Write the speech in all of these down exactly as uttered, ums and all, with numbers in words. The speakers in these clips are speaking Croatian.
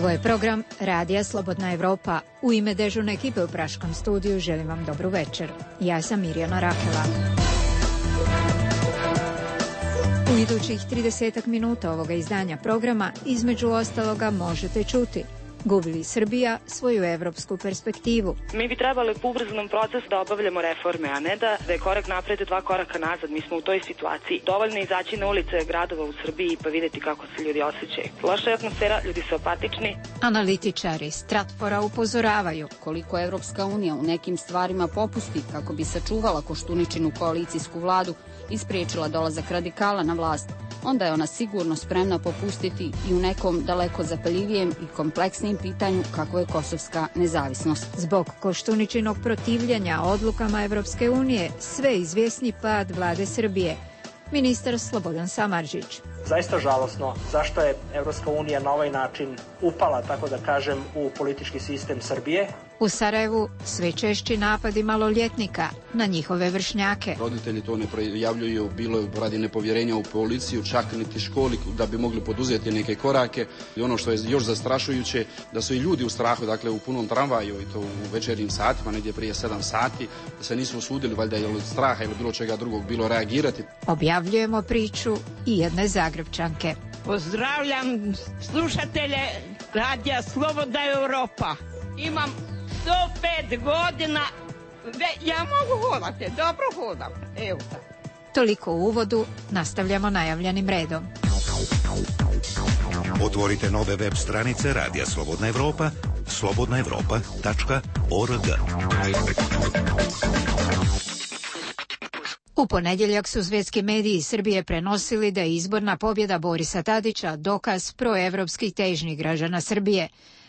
Ovo je program Radija Slobodna Evropa. U ime dežurne ekipe u Praškom studiju želim vam dobru večer. Ja sam Mirjana Rakela. U idućih tridesetak minuta ovoga izdanja programa između ostaloga možete čuti: gubi li Srbija svoju evropsku perspektivu? Mi bi trebali po ubrzanom procesu da obavljamo reforme, a ne da je korak napred i dva koraka nazad. Mi smo u toj situaciji. Dovoljno je izaći na ulice gradova u Srbiji pa vidjeti kako se ljudi osjećaju. Loša je atmosfera, ljudi su apatični. Analitičari Stratfora upozoravaju: koliko Evropska unija u nekim stvarima popusti kako bi sačuvala Koštuničinu koalicijsku vladu i spriječila dolazak radikala na vlast, onda je ona sigurno spremna popustiti i u nekom daleko zapaljivijem i kompleksnijem pitanju kako je kosovska nezavisnost. Zbog Koštuničinog protivljenja odlukama Evropske unije sve izvjesni pad vlade Srbije. Ministar Slobodan Samardžić: zaista žalosno zašto je Evropska unija na ovaj način upala, tako da kažem, u politički sistem Srbije. U Sarajevu sve češći napadi maloljetnika na njihove vršnjake. Roditelji to ne prijavljuju, bilo je radi nepovjerenja u policiju, čak niti školi da bi mogli poduzeti neke korake. I ono što je još zastrašujuće, da su i ljudi u strahu, dakle u punom tramvaju i to u večernjim satima, negdje prije sedam sati, da se nisu usudili valjda ili od straha ili bilo čega drugog bilo reagirati. Objavljujemo priču i jedne Zagrepčanke. Pozdravljam slušatelje Radija Slobodna Evropa. Imam sto pet godina, Ve, ja mogu hodati, dobro hodam, evo da. Toliko u uvodu, nastavljamo najavljenim redom. Otvorite nove web stranice Radija Slobodna Evropa, slobodna evropa tačka org. U ponedjeljak su svjetski mediji Srbije prenosili da je izborna pobjeda Borisa Tadića dokaz proevropskih težnji građana Srbije.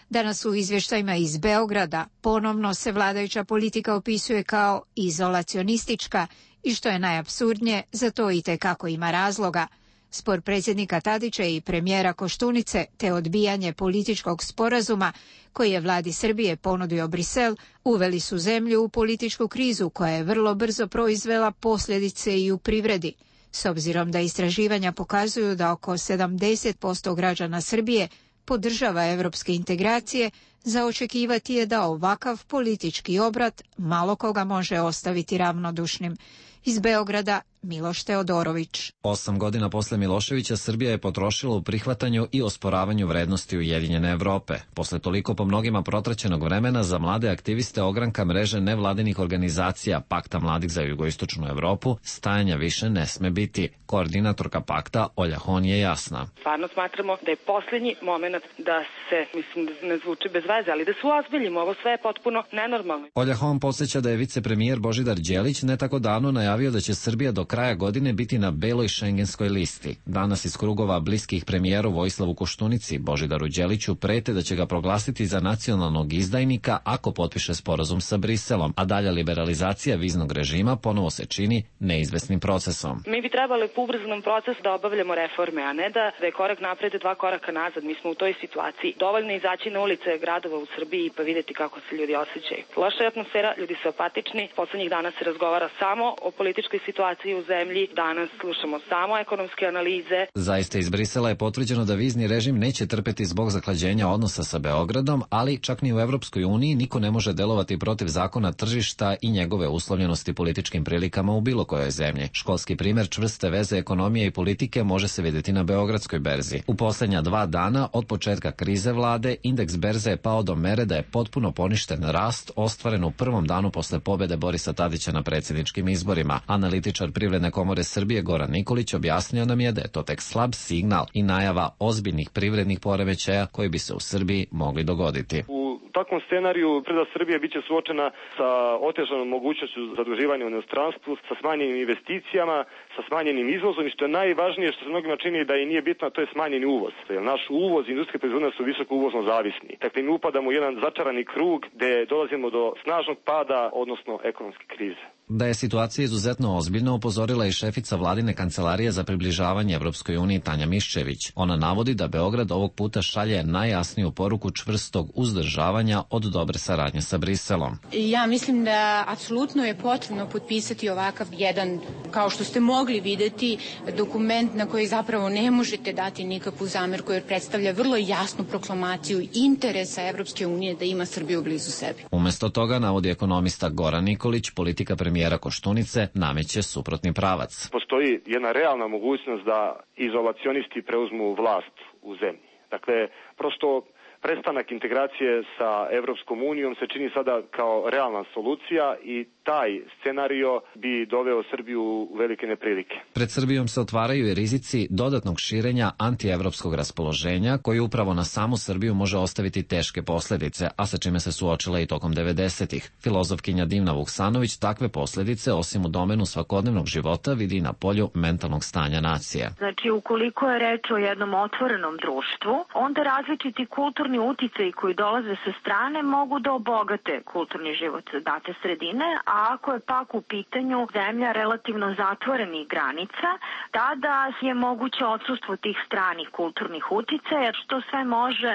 Danas u izvještajima iz Beograda ponovno se vladajuća politika opisuje kao izolacionistička i što je najapsurdnije, za to itekako ima razloga. Spor predsjednika Tadića i premijera Koštunice te odbijanje političkog sporazuma koji je vladi Srbije ponudio Brisel uveli su zemlju u političku krizu koja je vrlo brzo proizvela posljedice i u privredi. S obzirom da istraživanja pokazuju da oko sedamdeset posto građana Srbije podržava evropske integracije, za očekivati je da ovakav politički obrat malo koga može ostaviti ravnodušnim. Iz Beograda Miloš Teodorović. Osam godina posle Miloševića Srbija je potrošila u prihvatanju i osporavanju vrednosti Ujedinjene Evrope. Posle toliko po mnogima protraćenog vremena za mlade aktiviste ogranka mreže nevladinih organizacija Pakta mladih za jugoistočnu Evropu stajanja više ne sme biti. Koordinatorka Pakta Olja Hon je jasna. Stvarno smatramo da je posljednji moment da se, mislim da ne zvuči bez veze, ali da se uozbiljimo, ovo sve je potpuno nenormalno. Olja Hon podsjeća da je vicepremijer Božidar Đelić ne tako davno najavio da će Srbija do kraja godine biti na beloj šengenskoj listi. Danas iz krugova bliskih premijeru Vojislavu Koštunici, Božidaru Đeliću prete da će ga proglasiti za nacionalnog izdajnika ako potpiše sporazum sa Briselom, a dalja liberalizacija viznog režima ponovo se čini neizvesnim procesom. Mi bi trebali po ubrzanom procesu da obavljamo reforme, a ne da, da je korak napred i dva koraka nazad. Mi smo u toj situaciji. Dovoljno je izaći na ulice gradova u Srbiji pa vidjeti kako se ljudi osjećaju. Loša je atmosfera, ljudi su apatični. Poslednjih dana se razgovara samo o političkoj situaciji u zemlji, danas slušamo samo ekonomske analize. Zaista iz Brisela je potvrđeno da vizni režim neće trpeti zbog zaklađenja odnosa sa Beogradom, ali čak ni u Evropskoj uniji niko ne može delovati protiv zakona tržišta i njegove uslovljenosti političkim prilikama u bilo kojoj zemlji. Školski primjer čvrste veze ekonomije i politike može se vidjeti na beogradskoj berzi. U posljednja dva dana od početka krize vlade indeks berze je pao do mere da je potpuno poništen rast ostvaren u prvom danu posle pobjede Borisa Tadića na predsjedničkim izborima. Analitičar Privredne komore Srbije Goran Nikolić objasnio nam je da je to tek slab signal i najava ozbiljnih privrednih poremećaja koji bi se u Srbiji mogli dogoditi. U takvom scenariju privreda Srbije biće suočena sa otežanom mogućnošću zaduživanja u inostranstvu, sa smanjenim investicijama, sa smanjenim izvozom i što je najvažnije što se mnogima čini da i nije bitno, to je smanjeni uvoz. Jer naš uvoz i industrijske proizvodnje su visoko uvozno zavisni. Dakle, mi upadamo u jedan začarani krug gde dolazimo do snažnog pada, odnosno ekonomske krize. Da je situacija izuzetno ozbiljna upozorila i šefica vladine kancelarije za približavanje Evropskoj uniji Tanja Miščević. Ona navodi da Beograd ovog puta šalje najjasniju poruku čvrstog uzdržavanja od dobre saradnje sa Briselom. Ja mislim da apsolutno je potrebno potpisati ovakav jedan, kao što ste mogli videti, dokument na koji zapravo ne možete dati nikakvu zamerku jer predstavlja vrlo jasnu proklamaciju interesa Evropske unije da ima Srbiju blizu sebi. Umesto toga, navodi ekonomista Goran Nikolić, politika premijera Koštunice nameće suprotni pravac. Postoji jedna realna mogućnost da izolacionisti preuzmu vlast u zemlji. Dakle, prosto prestanak integracije sa Evropskom unijom se čini sada kao realna solucija i taj scenario bi doveo Srbiju u velike neprilike. Pred Srbijom se otvaraju i rizici dodatnog širenja antievropskog raspoloženja koji upravo na samu Srbiju može ostaviti teške posledice, a sa čime se suočila i tokom devedesetih. Filozofkinja Divna Vuksanović takve posledice, osim u domenu svakodnevnog života, vidi i na polju mentalnog stanja nacije. Znači, ukoliko je reč o jednom otvorenom društvu, onda različiti kulturni uticaji koji dolaze sa strane mogu da obogate kulturni život date sredine, a ako je pak u pitanju zemlja relativno zatvorenih granica, tada je moguće odsustvo tih stranih kulturnih uticaja, jer što sve može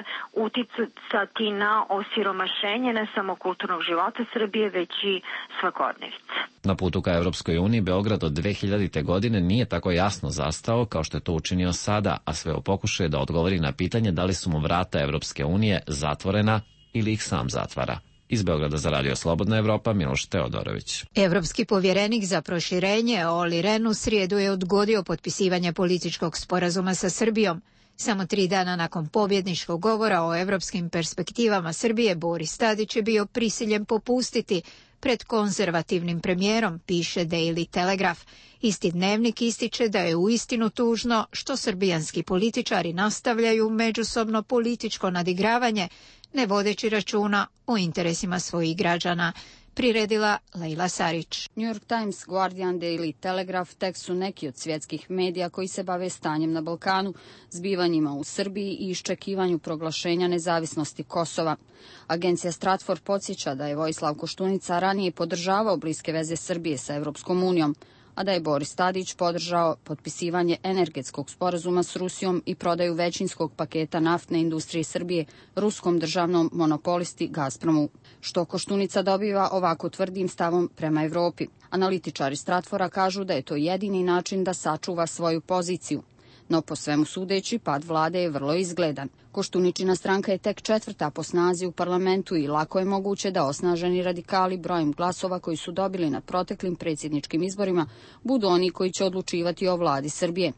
uticati na osiromašenje ne samo kulturnog života Srbije, već i svakodnevice. Na putu ka Evropskoj uniji Beograd od dve hiljadite. godine nije tako jasno zastao kao što je to učinio sada, a sve u pokušaju da odgovori na pitanje da li su mu vrata Evropske unije zatvorena ili ih sam zatvara. Iz Beograda za Radio Slobodna Evropa, Miloš Teodorović. Evropski povjerenik za proširenje Olli Rehn u srijedu je odgodio potpisivanje političkog sporazuma sa Srbijom. Samo tri dana nakon pobjedničkog govora o evropskim perspektivama Srbije, Boris Tadić je bio prisiljen popustiti pred konzervativnim premijerom, piše Daily Telegraph. Isti dnevnik ističe da je uistinu tužno što srbijanski političari nastavljaju međusobno političko nadigravanje, ne vodeći računa o interesima svojih građana, priredila Lejla Sarić. New York Times, Guardian, Daily Telegraph tek su neki od svjetskih medija koji se bave stanjem na Balkanu, zbivanjima u Srbiji i iščekivanju proglašenja nezavisnosti Kosova. Agencija Stratfor podsjeća da je Vojislav Koštunica ranije podržavao bliske veze Srbije sa Evropskom unijom, a da je Boris Tadić podržao potpisivanje energetskog sporazuma s Rusijom i prodaju većinskog paketa naftne industrije Srbije ruskom državnom monopolisti Gazpromu, što Koštunica dobiva ovako tvrdim stavom prema Evropi. Analitičari Stratfora kažu da je to jedini način da sačuva svoju poziciju. No po svemu sudeći, pad vlade je vrlo izgledan. Koštuničina stranka je tek četvrta po snazi u parlamentu i lako je moguće da osnaženi radikali brojem glasova koji su dobili na proteklim predsjedničkim izborima budu oni koji će odlučivati o vladi Srbije.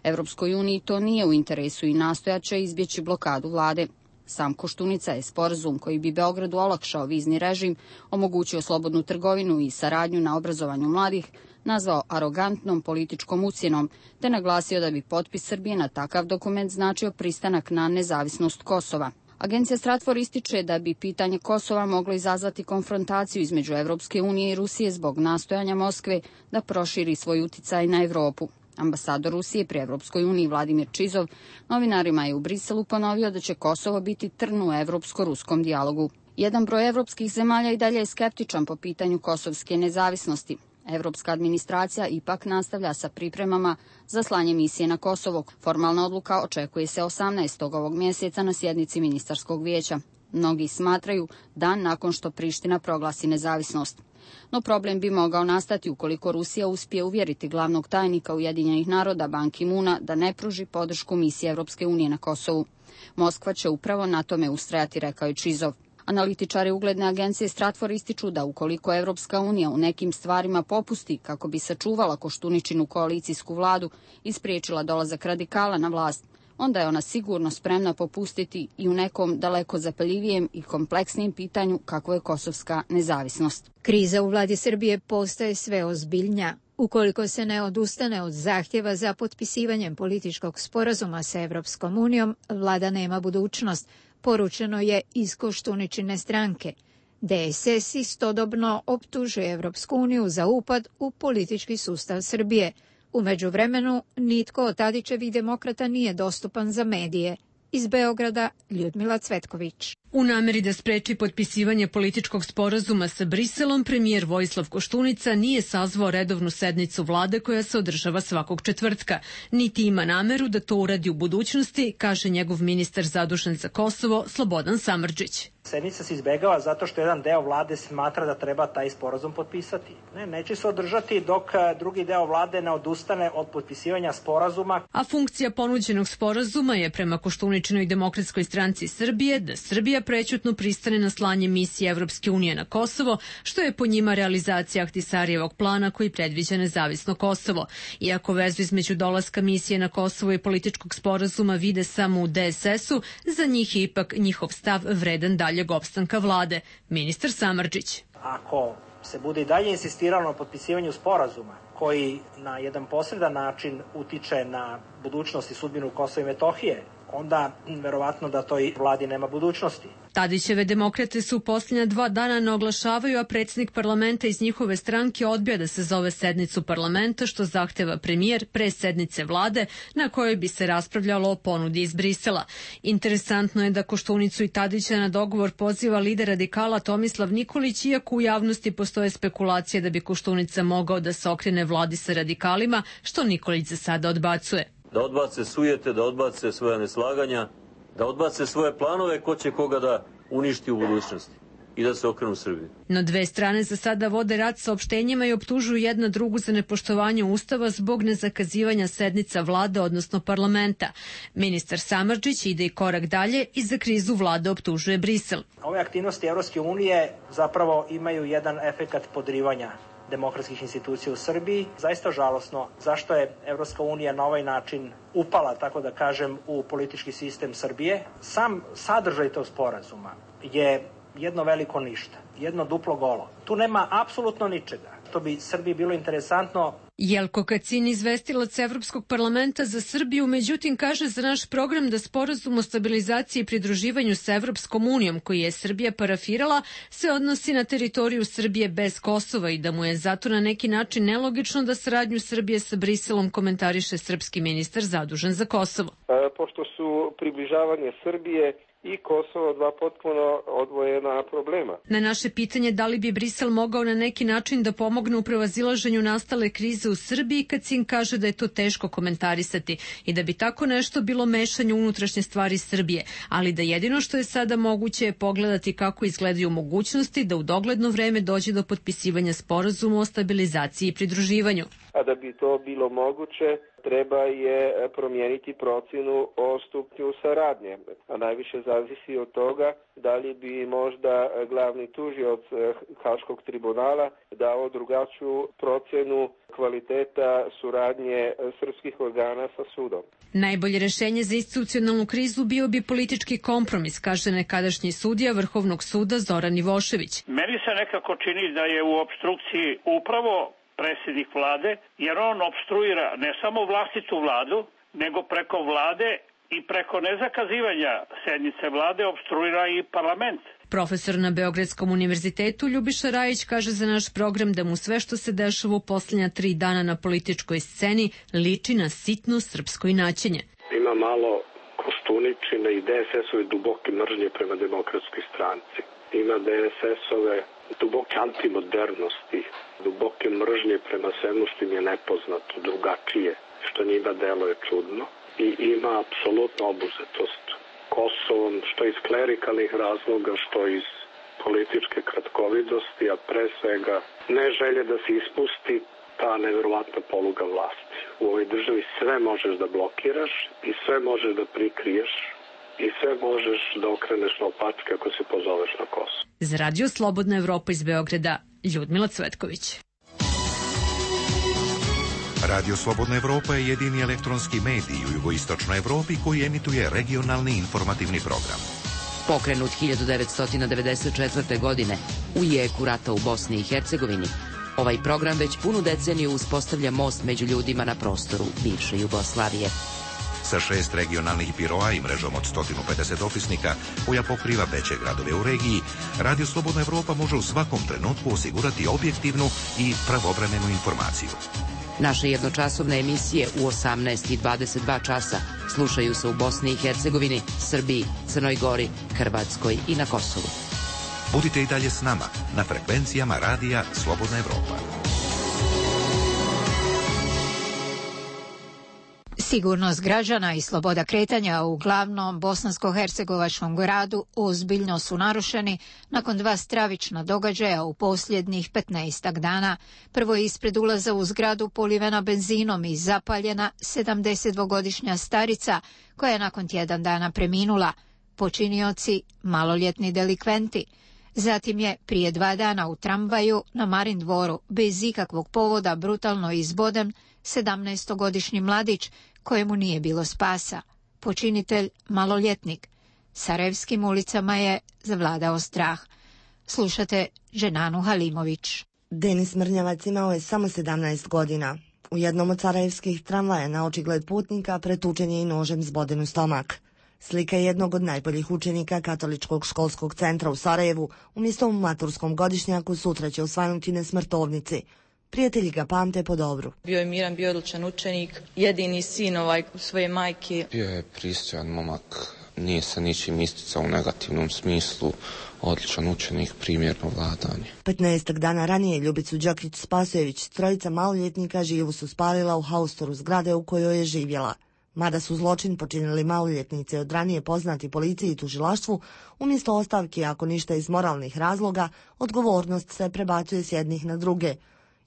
Evropskoj uniji to nije u interesu i nastojaće izbjeći blokadu vlade. Sam Koštunica je sporazum koji bi Beogradu olakšao vizni režim, omogućio slobodnu trgovinu i saradnju na obrazovanju mladih, nazvao arogantnom političkom ucjenom, te naglasio da bi potpis Srbije na takav dokument značio pristanak na nezavisnost Kosova. Agencija Stratfor ističe da bi pitanje Kosova moglo izazvati konfrontaciju između Evropske unije i Rusije zbog nastojanja Moskve da proširi svoj uticaj na Evropu. Ambasador Rusije pri Evropskoj uniji Vladimir Čizov novinarima je u Briselu ponovio da će Kosovo biti trn u evropsko-ruskom dijalogu. Jedan broj evropskih zemalja i dalje je skeptičan po pitanju kosovske nezavisnosti. Evropska administracija ipak nastavlja sa pripremama za slanje misije na Kosovo. Formalna odluka očekuje se osamnaestog ovog mjeseca na sjednici ministarskog vijeća. Mnogi smatraju dan nakon što Priština proglasi nezavisnost. No problem bi mogao nastati ukoliko Rusija uspije uvjeriti glavnog tajnika Ujedinjenih naroda Ban Ki-moona da ne pruži podršku misiji Evropske unije na Kosovu. Moskva će upravo na tome ustrajati, rekao je Čizov. Analitičari ugledne agencije Stratfor ističu da ukoliko Evropska unija u nekim stvarima popusti kako bi sačuvala Koštuničinu koalicijsku vladu i spriječila dolazak radikala na vlast, onda je ona sigurno spremna popustiti i u nekom daleko zapaljivijem i kompleksnijem pitanju kako je kosovska nezavisnost. Kriza u vladi Srbije postaje sve ozbiljnija. Ukoliko se ne odustane od zahtjeva za potpisivanjem političkog sporazuma sa Evropskom unijom, vlada nema budućnost, poručeno je iz Koštuničine stranke. D S S istodobno optužuje Evropsku uniju za upad u politički sustav Srbije. U međuvremenu, nitko od Tadićevih demokrata nije dostupan za medije. Iz Beograda, Ljudmila Cvetković. U nameri da spreči potpisivanje političkog sporazuma sa Briselom, premijer Vojislav Koštunica nije sazvao redovnu sednicu vlade koja se održava svakog četvrtka. Niti ima nameru da to uradi u budućnosti, kaže njegov ministar zadužen za Kosovo, Slobodan Samardžić. Sednica se izbegava zato što jedan deo vlade smatra da treba taj sporazum potpisati. Ne, neće se održati dok drugi deo vlade ne odustane od potpisivanja sporazuma. A funkcija ponuđenog sporazuma je prema Koštuničinoj demokratskoj stranci Srbije da Srbija prećutno pristane na slanje misije Evropske unije na Kosovo, što je po njima realizacija Ahtisarijevog plana koji predviđa nezavisno Kosovo. Iako vezu između dolaska misije na Kosovo i političkog sporazuma vide samo u D S S-u, za njih je ipak njihov stav vredan dalje opstanka vlade. Ministar Samardžić. Ako se bude i dalje insistiralo na potpisivanju sporazuma koji na jedan posredan način utiče na budućnost i sudbinu Kosova i Metohije, onda verovatno da toj vladi nema budućnosti. Tadićeve demokrate su u posljednja dva dana ne oglašavaju, a predsjednik parlamenta iz njihove stranke odbija da se zove sednicu parlamenta, što zahteva premijer pre sednice vlade na kojoj bi se raspravljalo o ponudi iz Brisela. Interesantno je da Koštunicu i Tadića na dogovor poziva lider radikala Tomislav Nikolić, iako u javnosti postoje spekulacije da bi Koštunica mogao da se okrene vladi sa radikalima, što Nikolić za sada odbacuje. Da odbace sujete, da odbace svoja neslaganja, da odbace svoje planove ko će koga da uništi u budućnosti i da se okrenu Srbiji. No dve strane za sada vode rat saopštenjima i optužuju jedna drugu za nepoštovanje Ustava zbog nezakazivanja sednica vlade, odnosno parlamenta. Ministar Samardžić ide i korak dalje i za krizu vlade optužuje Brisel. Ove aktivnosti Evropske unije zapravo imaju jedan efekat podrivanja demokratskih institucija u Srbiji. Zaista žalosno zašto je Evropska unija na ovaj način upala, tako da kažem, u politički sistem Srbije. Sam sadržaj tog sporazuma je jedno veliko ništa, jedno duplo golo. Tu nema apsolutno ničega. To bi Srbiji bilo interesantno. Jelko Kacin, izvestilac Evropskog parlamenta za Srbiju, međutim kaže za naš program da sporazum o stabilizaciji i pridruživanju sa Evropskom unijom, koji je Srbija parafirala, se odnosi na teritoriju Srbije bez Kosova i da mu je zato na neki način nelogično da saradnju Srbije sa Briselom komentariše srpski ministar zadužen za Kosovo. E, pošto su približavanje Srbije i Kosovo dva potpuno odvojena problema. Na naše pitanje da li bi Brisel mogao na neki način da pomogne u prevazilaženju nastale krize u Srbiji, Kacin kaže da je to teško komentarisati i da bi tako nešto bilo mešanje u unutrašnje stvari Srbije, ali da jedino što je sada moguće je pogledati kako izgledaju mogućnosti da u dogledno vreme dođe do potpisivanja sporazuma o stabilizaciji i pridruživanju. A da bi to bilo moguće, treba je promijeniti procjenu o stupnju saradnje, a najviše zavisi od toga da li bi možda glavni tužioc Haškog tribunala dao drugačiju procjenu kvaliteta suradnje srpskih organa sa sudom. Najbolje rešenje za institucionalnu krizu bio bi politički kompromis, kaže nekadašnji sudija Vrhovnog suda Zoran Ivošević. Meni se nekako čini da je u opstrukciji upravo predsjednik vlade, jer on opstruira ne samo vlastitu vladu, nego preko vlade i preko nezakazivanja sednice vlade opstruira i parlament. Profesor na Beogradskom univerzitetu Ljubiša Rajić kaže za naš program da mu sve što se dešava u posljednja tri dana na političkoj sceni liči na sitno srpsko inaćenje. Ima malo Koštuničine i D S S-ove duboke mržnje prema demokratskoj stranci. Ima D S S-ove duboke antimodernosti, duboke mržnje prema svemu što im je nepoznato, drugačije, što njima deluje čudno. I ima apsolutno obuzetost Kosovom, što iz klerikalnih razloga, što iz političke kratkovidosti, a pre svega ne želje da se ispusti ta neverovatna poluga vlasti. U ovoj državi sve možeš da blokiraš i sve možeš da prikriješ i sve možeš da okreneš na opačke ako se pozoveš na Kosovo. Za Radio Slobodna Evropa iz Beograda, Ljudmila Cvetković. Radio Slobodna Evropa je jedini elektronski medij u jugoistočnoj Evropi koji emituje regionalni informativni program. Pokrenut hiljadu devetsto devedeset četvrte. godine u jeku rata u Bosni i Hercegovini, ovaj program već punu deceniju uspostavlja most među ljudima na prostoru bivše Jugoslavije. Sa šest regionalnih biroa i mrežom od sto pedeset opisnika koja pokriva veće gradove u regiji, Radio Slobodna Evropa može u svakom trenutku osigurati objektivnu i pravovremenu informaciju. Naše jednočasovne emisije u osamnaest i dvadeset dva časa slušaju se u Bosni i Hercegovini, Srbiji, Crnoj Gori, Hrvatskoj i na Kosovu. Budite i dalje s nama na frekvencijama Radija Slobodna Evropa. Sigurnost građana i sloboda kretanja u glavnom bosansko-hercegovačkom gradu ozbiljno su narušeni nakon dva stravična događaja u posljednjih petnaestak dana. Prvo je ispred ulaza u zgradu polivena benzinom i zapaljena sedamdesetdvogodišnja starica koja je nakon tjedan dana preminula. Počinioci maloljetni delikventi. Zatim je prije dva dana u tramvaju na Marin dvoru bez ikakvog povoda brutalno izboden sedamnaestogodišnji mladić kojemu nije bilo spasa. Počinitelj maloljetnik. Sarajevskim ulicama je zavladao strah. Slušate Dženanu Halimović. Denis Mrnjavac imao je samo sedamnaest godina. U jednom od sarajevskih tramvaja na očigled putnika pretučen je i nožem zboden u stomak. Slika jednog od najboljih učenika Katoličkog školskog centra u Sarajevu umjesto u maturskom godišnjaku sutra će osvanuti na smrtovnici. Prijatelji ga pamte po dobru. Bio je miran, bio je odličan učenik, jedini sin ovaj svoje majke. Bio je pristojan momak, nije se ničim isticao u negativnom smislu, odličan učenik, primjerno vladanje. petnaestak dana ranije Ljubicu Đokić-Spasojević, trojica maloljetnika, živu su spalila u haustoru zgrade u kojoj je živjela. Mada su zločin počinili maloljetnici od ranije poznati policiji i tužilaštvu, umjesto ostavki, ako ništa iz moralnih razloga, odgovornost se prebacuje s jednih na druge.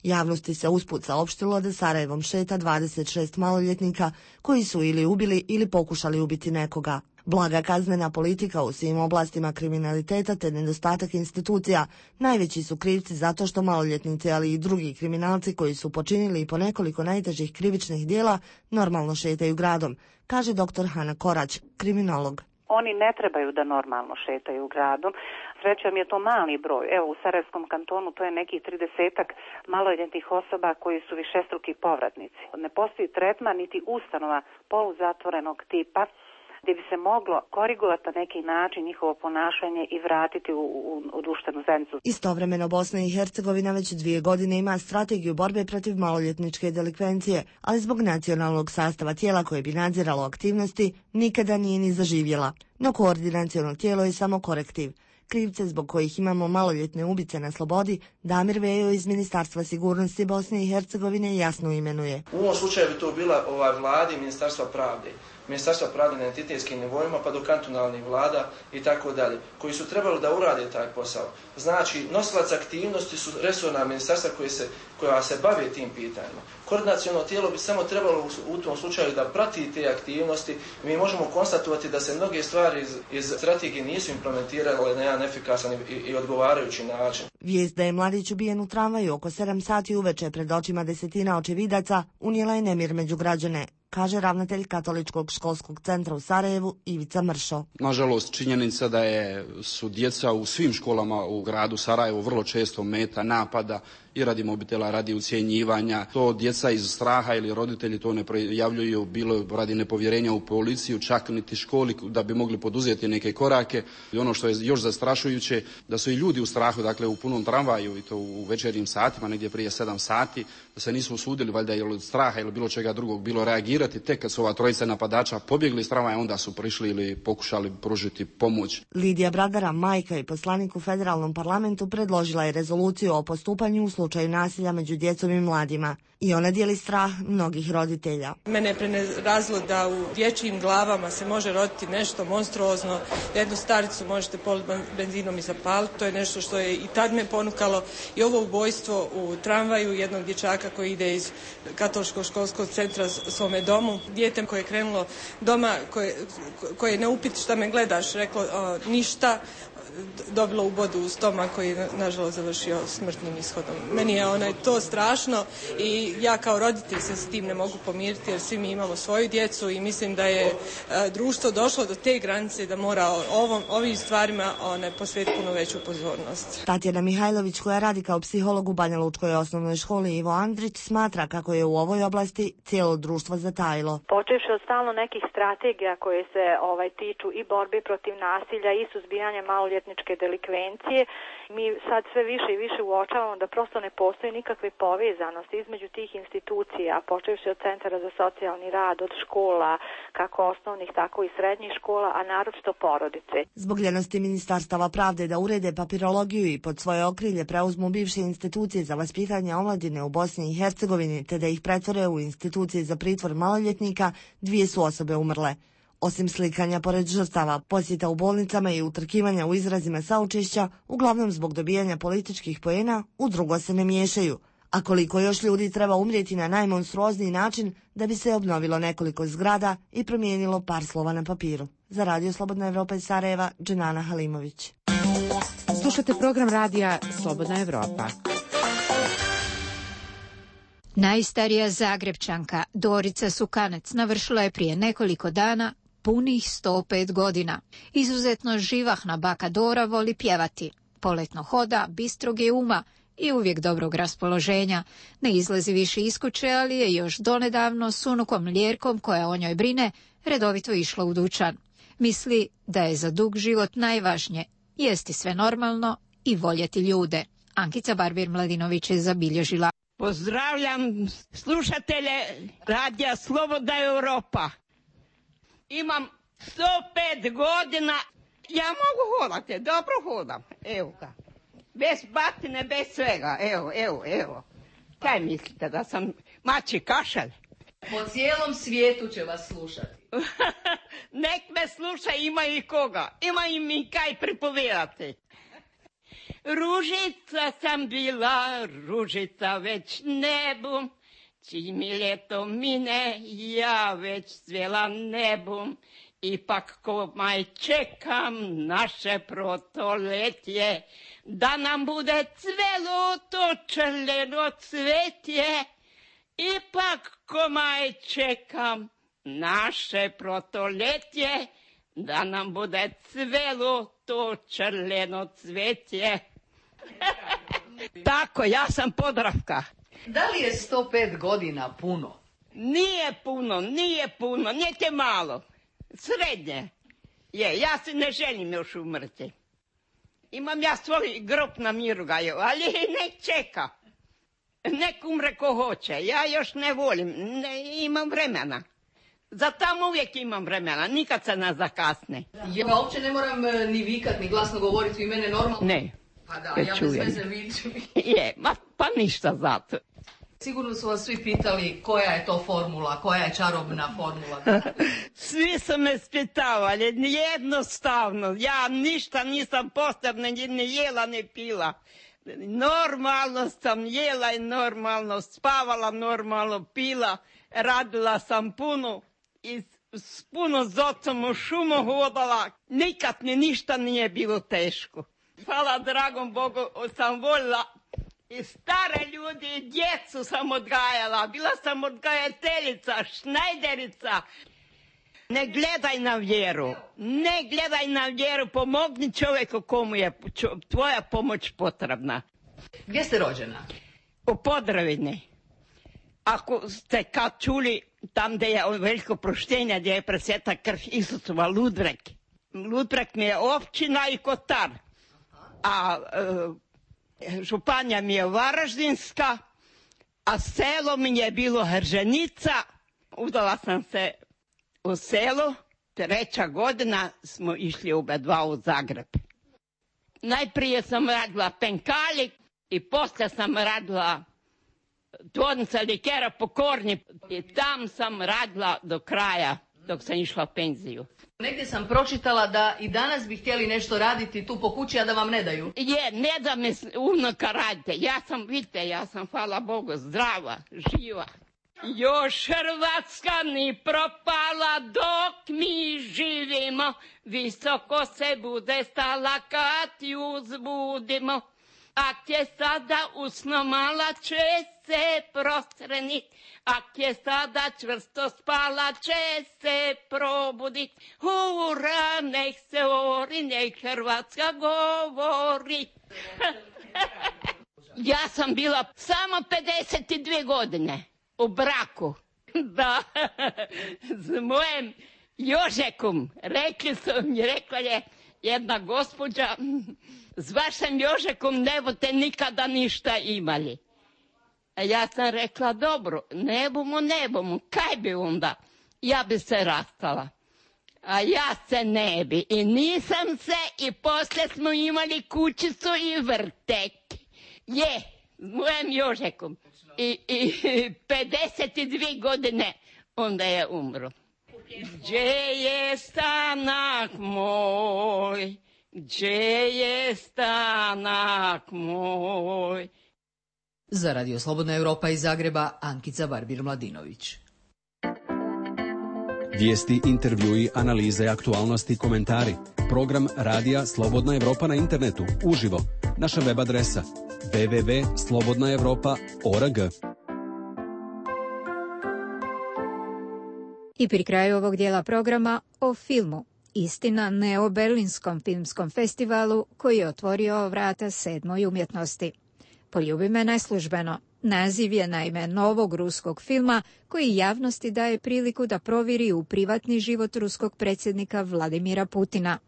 Javnosti se usput saopštilo da Sarajevom šeta dvadeset šest maloljetnika koji su ili ubili ili pokušali ubiti nekoga. Blaga kaznena politika u svim oblastima kriminaliteta te nedostatak institucija najveći su krivci zato što maloljetnici, ali i drugi kriminalci koji su počinili i po nekoliko najtežih krivičnih dijela normalno šetaju gradom, kaže doktor Hana Korać, kriminolog. Oni ne trebaju da normalno šetaju gradom. Srećom je to mali broj. Evo u Sarajevskom kantonu to je nekih tridesetak maloljetnih osoba koji su višestruki povratnici. Ne postoji tretman niti ustanova poluzatvorenog tipa gdje bi se moglo korigovati na neki način njihovo ponašanje i vratiti u, u, u društvenu zajednicu. Istovremeno Bosna i Hercegovina već dvije godine ima strategiju borbe protiv maloljetničke delikvencije, ali zbog nacionalnog sastava tijela koje bi nadziralo aktivnosti nikada nije ni zaživjela. No koordinaciono tijelo je samo korektiv. Krivce zbog kojih imamo maloljetne ubice na slobodi Damir Vejo iz Ministarstva sigurnosti Bosne i Hercegovine jasno imenuje. U ovom slučaju bi to bila ova vlada i Ministarstva pravde. Ministarstva pravde na entitetskim nivoima pa do kantonalnih vlada i tako dalje, koji su trebali da urade taj posao. Znači, nosilac aktivnosti su resorna ministarstva koje se, koja se bave tim pitanjima. Koordinaciono tijelo bi samo trebalo u, u tom slučaju da prati te aktivnosti. Mi možemo konstatovati da se mnoge stvari iz, iz strategije nisu implementirale na jedan efikasan i, i odgovarajući način. Vijest da je mladić ubijen u tramvaju oko sedam sati uveče pred očima desetina očevidaca unijela je nemir među građane, kaže ravnatelj Katoličkog školskog centra u Sarajevu Ivica Mršo. Nažalost, činjenica da je, su djeca u svim školama u gradu Sarajevu vrlo često meta napada i radi mobitela, radi ucjenjivanja. To djeca iz straha ili roditelji to ne prijavljuju, bilo radi nepovjerenja u policiju, čak niti školi da bi mogli poduzeti neke korake. I ono što je još zastrašujuće, da su i ljudi u strahu, dakle u punom tramvaju i to u večernjim satima, negdje prije sedam sati, da se nisu usudili, valjda ili od straha ili bilo čega drugog, bilo reagirati. Tek kad su ova trojica napadača pobjegli iz tramvaja, onda su prišli ili pokušali pružiti pomoć. Lidija Bradara, majka i poslanik u federalnom parlamentu, predložila je rezoluciju o postupanju u slučaju nasilja među djecom i mladima. I ona dijeli strah mnogih roditelja. Mene je prenerazilo da u dječjim glavama se može roditi nešto monstruozno. Jednu staricu možete politi benzinom i zapaliti. To je nešto što je i tad me ponukalo. I ovo ubojstvo u tramvaju jednog dječaka koji ide iz Katoličkog školskog centra svome domu. Dijete koje je krenulo doma, koje, koje ne upiti šta me gledaš, reklo o, ništa. dobilo ubodu u stomak koji je nažalost završio smrtnim ishodom. Meni je onaj to strašno i ja kao roditelj se s tim ne mogu pomiriti jer svi mi imamo svoju djecu i mislim da je društvo došlo do te granice da mora ovom, ovim stvarima one, posvetiti puno veću pozornost. Tatjana Mihajlović, koja radi kao psiholog u Banja Lučkoj osnovnoj školi Ivo Andrić, smatra kako je u ovoj oblasti cijelo društvo zatajilo. Počevši od stalno nekih strategija koje se ovaj tiču i borbe protiv nasilja i suzbijanja maloljetničke delikvencije, mi sad sve više i više uočavamo da prosto ne postoji nikakve povezanosti između tih institucija, počevši od centara za socijalni rad, od škola, kako osnovnih, tako i srednjih škola, a naročito porodice. Zbog ljenosti ministarstava pravde da urede papirologiju i pod svoje okrilje preuzmu bivše institucije za vaspitanje omladine u Bosni i Hercegovini, te da ih pretvore u institucije za pritvor maloljetnika, dvije su osobe umrle. Osim slikanja pored žrtava, posjeta u bolnicama i utrkivanja u izrazima saučešća, uglavnom zbog dobijanja političkih poena, u drugo se ne miješaju. A koliko još ljudi treba umrijeti na najmonstruozniji način da bi se obnovilo nekoliko zgrada i promijenilo par slova na papiru. Za Radio Slobodna Evropa iz Sarajeva, Dženana Halimović. Slušate program radija Slobodna Evropa. Najstarija Zagrebčanka Dorica Sukanec navršila je prije nekoliko dana punih sto pet godina. Izuzetno živahna baka Dora voli pjevati. Poletno hoda, bistrog je uma i uvijek dobrog raspoloženja. Ne izlazi više iz kuće, ali je još donedavno s unukom Ljerkom, koja o njoj brine, redovito išla u dućan. Misli da je za dug život najvažnije jesti sve normalno i voljeti ljude. Ankica Barbir-Mladinović je zabilježila. Pozdravljam slušatelje radija Slobodna Evropa. Imam sto pet godina, ja mogu hodati, dobro hodam, evo ga. Bez batine, bez svega, evo, evo, evo. Kaj mislite, da sam mači kašalj? Po cijelom svijetu će vas slušati. Nek me sluša, ima i koga, ima i mi kaj pripovedati. Ružica sam bila, ružica već ne bum, čim mi ljeto mine, ja već cvjela ne bum. Ipak ko maj čekam naše protoletje, da nam bude cvelo to čerleno cvetje. Ipak ko maj čekam naše protoletje, da nam bude cvelo to čerleno cvetje. Tako, ja sam Podravka. Da li je sto pet godina puno? Nije puno, nije puno, niti malo. Srednje. Je, ja se ne želim još umrti. Imam ja svoj grob na Mirugaju, ali nek čeka. Nek umre ko hoće, ja još ne volim, ne, imam vremena. Za tamo uvijek imam vremena, nikad se ne zakasne. Ja uopće ne moram ni vikat, ni glasno govoriti u mene normalno? Ne. Pa da, ja bez veze viču. Je, ma, pa ništa zato. Sigurno su vas svi pitali koja je to formula, koja je čarobna formula. Svi su me spitavali, jednostavno. Ja ništa nisam posebno ni jela, ni pila. Normalno sam jela i normalno spavala, normalno pila. Radila sam puno i s puno z ocom u šumu hodala. Nikad mi ništa nije bilo teško. Hvala dragom Bogu, sam volila i stare ljudi i djecu sam odgajala. Bila sam odgajateljica, šnajderica. Ne gledaj na vjeru, ne gledaj na vjeru, pomogni čovjeku komu je tvoja pomoć potrebna. Gdje ste rođena? U Podravini. Ako ste kad čuli tam gdje je veliko proštenje, gdje je presveta krv Isusova, Ludbreg. Ludbreg mi je općina i Kotar. A e, županija mi je Varaždinska, a selo mi je bilo Hrženica. Udala sam se u selo, treća godina smo išli oba dva u Zagreb. Najprije sam radila penkali i poslije sam radila tvornica likera Pokorni i tam sam radila do kraja dok sam išla u penziju. Negdje sam pročitala da i danas bi htjeli nešto raditi tu po kući, a da vam ne daju. Je, ne da me unuka radite. Ja sam, vidite, ja sam, hvala Bogu, zdrava, živa. Još Hrvatska ni propala dok mi živimo, visoko se bude stala kad ju uzbudimo. Ak je sada usno mala će se prostrenit, ak je sada čvrsto spala će se probudit. Ura, nek se ori, nek Hrvatska govori. Ja sam bila samo pedeset dvije godine u braku. Da, s mojim Jožekom. Rekli su mi, rekla je jedna gospođa, s vašim Jožekom ne boste nikada ništa imali. A ja sam rekla, dobro, ne bomo, ne bomo, kaj bi onda? Ja bi se rastala. A ja se ne bi. I nisam se, i poslije smo imali kućicu i vrtek. Je, s mojim Jožekom. I, i pedeset dvije godine onda je umro. Gdje je stanak moj, gdje je stanak moj. Za Radio Slobodna Europa iz Zagreba, Ankica Barbir-Mladinović. Vijesti, intervjui, analize, aktualnosti, komentari. Program Radija Slobodna Europa na internetu, uživo. Naša web adresa w w w tačka slobodna europa tačka org. I pri kraju ovog dijela programa o filmu. Istina ne o Berlinskom filmskom festivalu koji je otvorio vrata sedmoj umjetnosti. Poljubi me neslužbeno. Naziv je naime novog ruskog filma koji javnosti daje priliku da provjeri u privatni život ruskog predsjednika Vladimira Putina.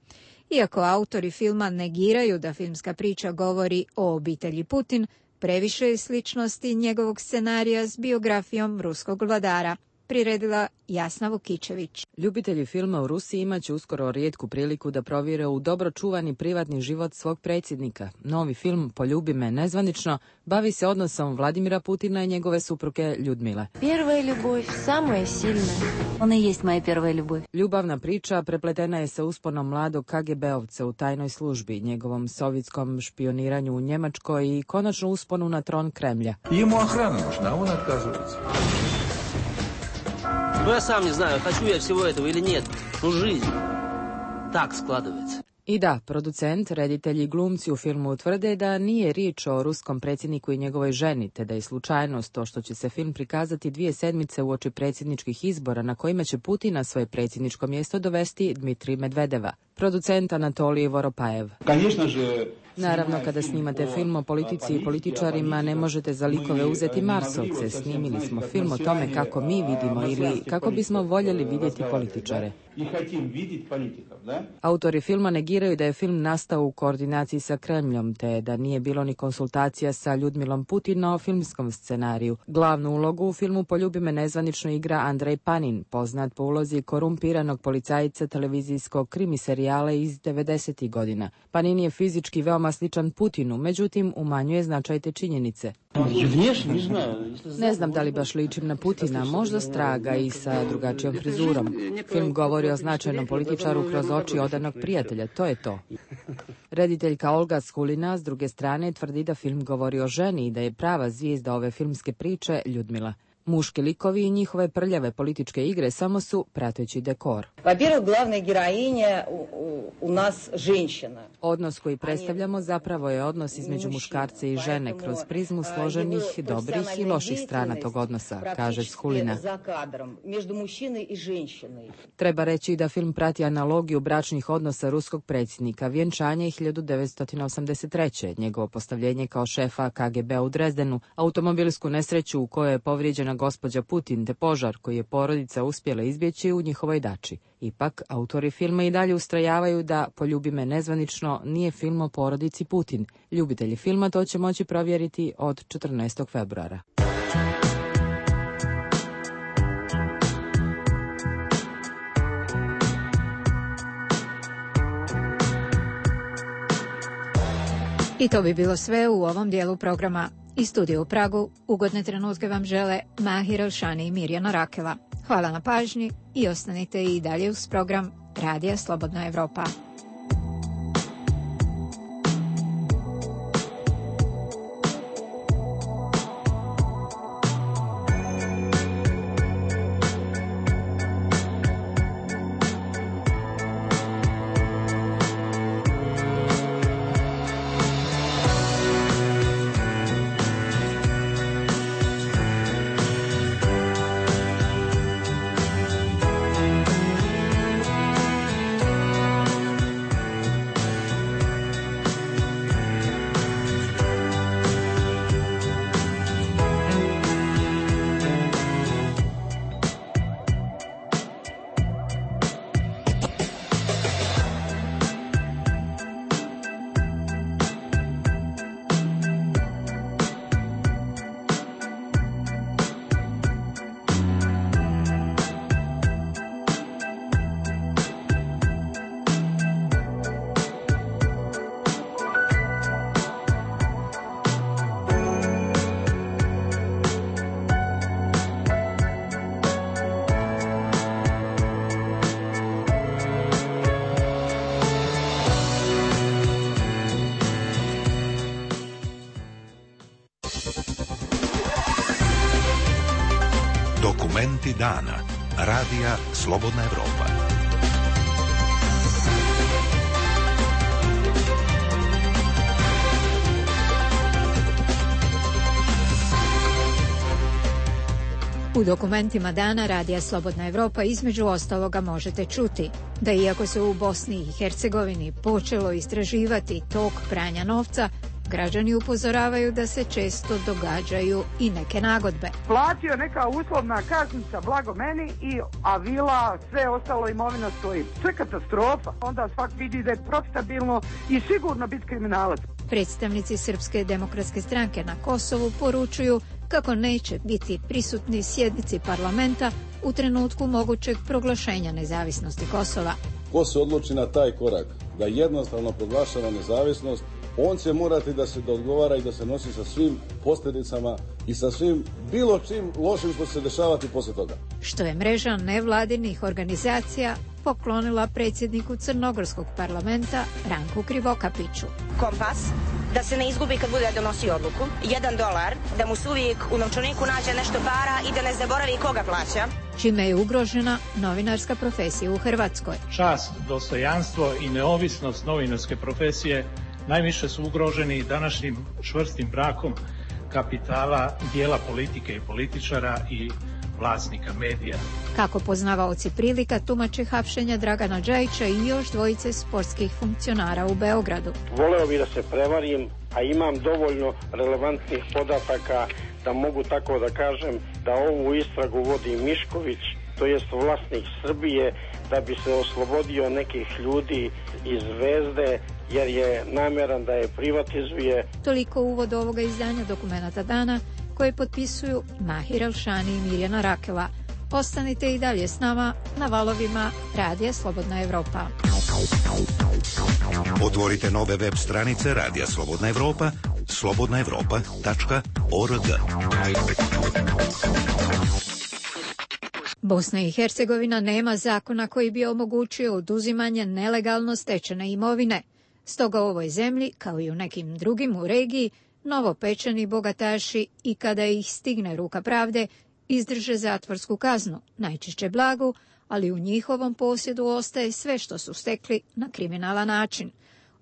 Iako autori filma negiraju da filmska priča govori o obitelji Putin, previše je sličnosti njegovog scenarija s biografijom ruskog vladara, priredila Jasna Vukičević. Ljubitelji filma u Rusiji imaće uskoro rijetku priliku da provjere u dobro čuvani privatni život svog predsjednika. Novi film Poljubi me nezvanično bavi se odnosom Vladimira Putina i njegove supruge Ljudmile. Prva ljubav, samoja silna. Ona jest moja prva ljubav. Ljubavna priča prepletena je sa usponom mladog K G B-ovca u tajnoj službi, njegovom sovjetskom špioniranju u Njemačkoj i konačno usponu na tron Kremlja. Ему охрана нужна, он отказывается. Ну, я сам не знаю, хочу я всего этого или нет. Ну, жизнь так складывается. I da, producent, reditelji i glumci u filmu tvrde da nije riječ o ruskom predsjedniku i njegovoj ženi, te da je slučajnost to što će se film prikazati dvije sedmice uoči predsjedničkih izbora na kojima će Putin na svoje predsjedničko mjesto dovesti Dmitrij Medvedeva. Producent Anatolij Voropajev. Naravno, kada snimate film o politici i političarima, ne možete za likove uzeti Marsovce. Snimili smo film o tome kako mi vidimo ili kako bismo voljeli vidjeti političare. Autori filma negiraju da je film nastao u koordinaciji sa Kremljom, te da nije bilo ni konsultacija sa Ljudmilom Putin o filmskom scenariju. Glavnu ulogu u filmu Poljubi me nezvanično igra Andrej Panin, poznat po ulozi korumpiranog policajca televizijskog krimi serijala iz devedesetih godina. Panin je fizički veoma sličan Putinu, međutim umanjuje značaj te činjenice. Ne znam da li baš ličim na Putina, možda straga i sa drugačijom frizurom. Film govori o značajnom političaru kroz oči odanog prijatelja, to je to. Rediteljka Olga Skulina, s druge strane, tvrdi da film govori o ženi i da je prava zvijezda ove filmske priče Ljudmila. Muški likovi i njihove prljave političke igre samo su prateći dekor. Во-первых, главная героиня у нас женщина. Odnos koji predstavljamo zapravo je odnos između muškarca i žene kroz prizmu složenih, dobrih i loših strana tog odnosa, kaže Skulina. Treba reći da film prati analogiju bračnih odnosa ruskog predsjednika, vjenčanje hiljadu devetsto osamdeset treće, njegovo postavljenje kao šefa K G B u Drezdenu, automobilsku nesreću u kojoj je povrijeđena gospođa Putin te požar koji je porodica uspjela izbjeći u njihovoj dači. Ipak, autori filma i dalje ustrajavaju da Poljubi me nezvanično nije film o porodici Putin. Ljubitelji filma to će moći provjeriti od četrnaestog februara. I to bi bilo sve u ovom dijelu programa. Iz studija u Pragu ugodne trenutke vam žele Mahir Elšani i Mirjana Rakela. Hvala na pažnji i ostanite i dalje uz program Radija Slobodna Europa. Dokumenti dana. Radija Slobodna Evropa. U dokumentima dana Radija Slobodna Evropa između ostaloga možete čuti da iako se u Bosni i Hercegovini počelo istraživati tok pranja novca, građani upozoravaju da se često događaju i neke nagodbe. Platio neka uslovna kaznica blago meni, i a vila, sve ostalo imovina stoji. To je katastrofa. Onda svak vidi da je profitabilno i sigurno biti kriminalac. Predstavnici Srpske demokratske stranke na Kosovu poručuju kako neće biti prisutni sjednici parlamenta u trenutku mogućeg proglašenja nezavisnosti Kosova. Ko se odluči na taj korak da jednostavno proglašava nezavisnost, on će morati da se odgovara i da se nosi sa svim posljedicama i sa svim bilo čim lošim što će se dešavati poslije toga. Što je mreža nevladinih organizacija poklonila predsjedniku Crnogorskog parlamenta Ranku Krivokapiću. Kompas, da se ne izgubi kad bude donosio odluku. Jedan dolar, da mu se uvijek u novčaniku nađe nešto para i da ne zaboravi koga plaća. Čime je ugrožena novinarska profesija u Hrvatskoj. Čast, dostojanstvo i neovisnost novinarske profesije najviše su ugroženi današnjim čvrstim brakom kapitala, dijela politike i političara i vlasnika medija. Kako poznavaoci prilika tumače hapšenja Dragana Džajića i još dvojice sportskih funkcionara u Beogradu. Voleo bih da se prevarim, a imam dovoljno relevantnih podataka da mogu tako da kažem da ovu istragu vodi Mišković, to jest vlasnik Srbije, da bi se oslobodio nekih ljudi iz Zvezde, jer je nameran da je privatizuje. Toliko uvod ovoga izdanja Dokumenata dana, koje potpisuju Mahir Alšani i Mirjana Rakela. Ostanite i dalje s nama na valovima Radija Slobodna Evropa. Otvorite nove web stranice Radija Slobodna Evropa, slobodna evropa tačka org. Bosna i Hercegovina nema zakona koji bi omogućio oduzimanje nelegalno stečene imovine. Stoga u ovoj zemlji, kao i u nekim drugim u regiji, novopečeni bogataši i kada ih stigne ruka pravde, izdrže zatvorsku kaznu, najčešće blagu, ali u njihovom posjedu ostaje sve što su stekli na kriminalan način.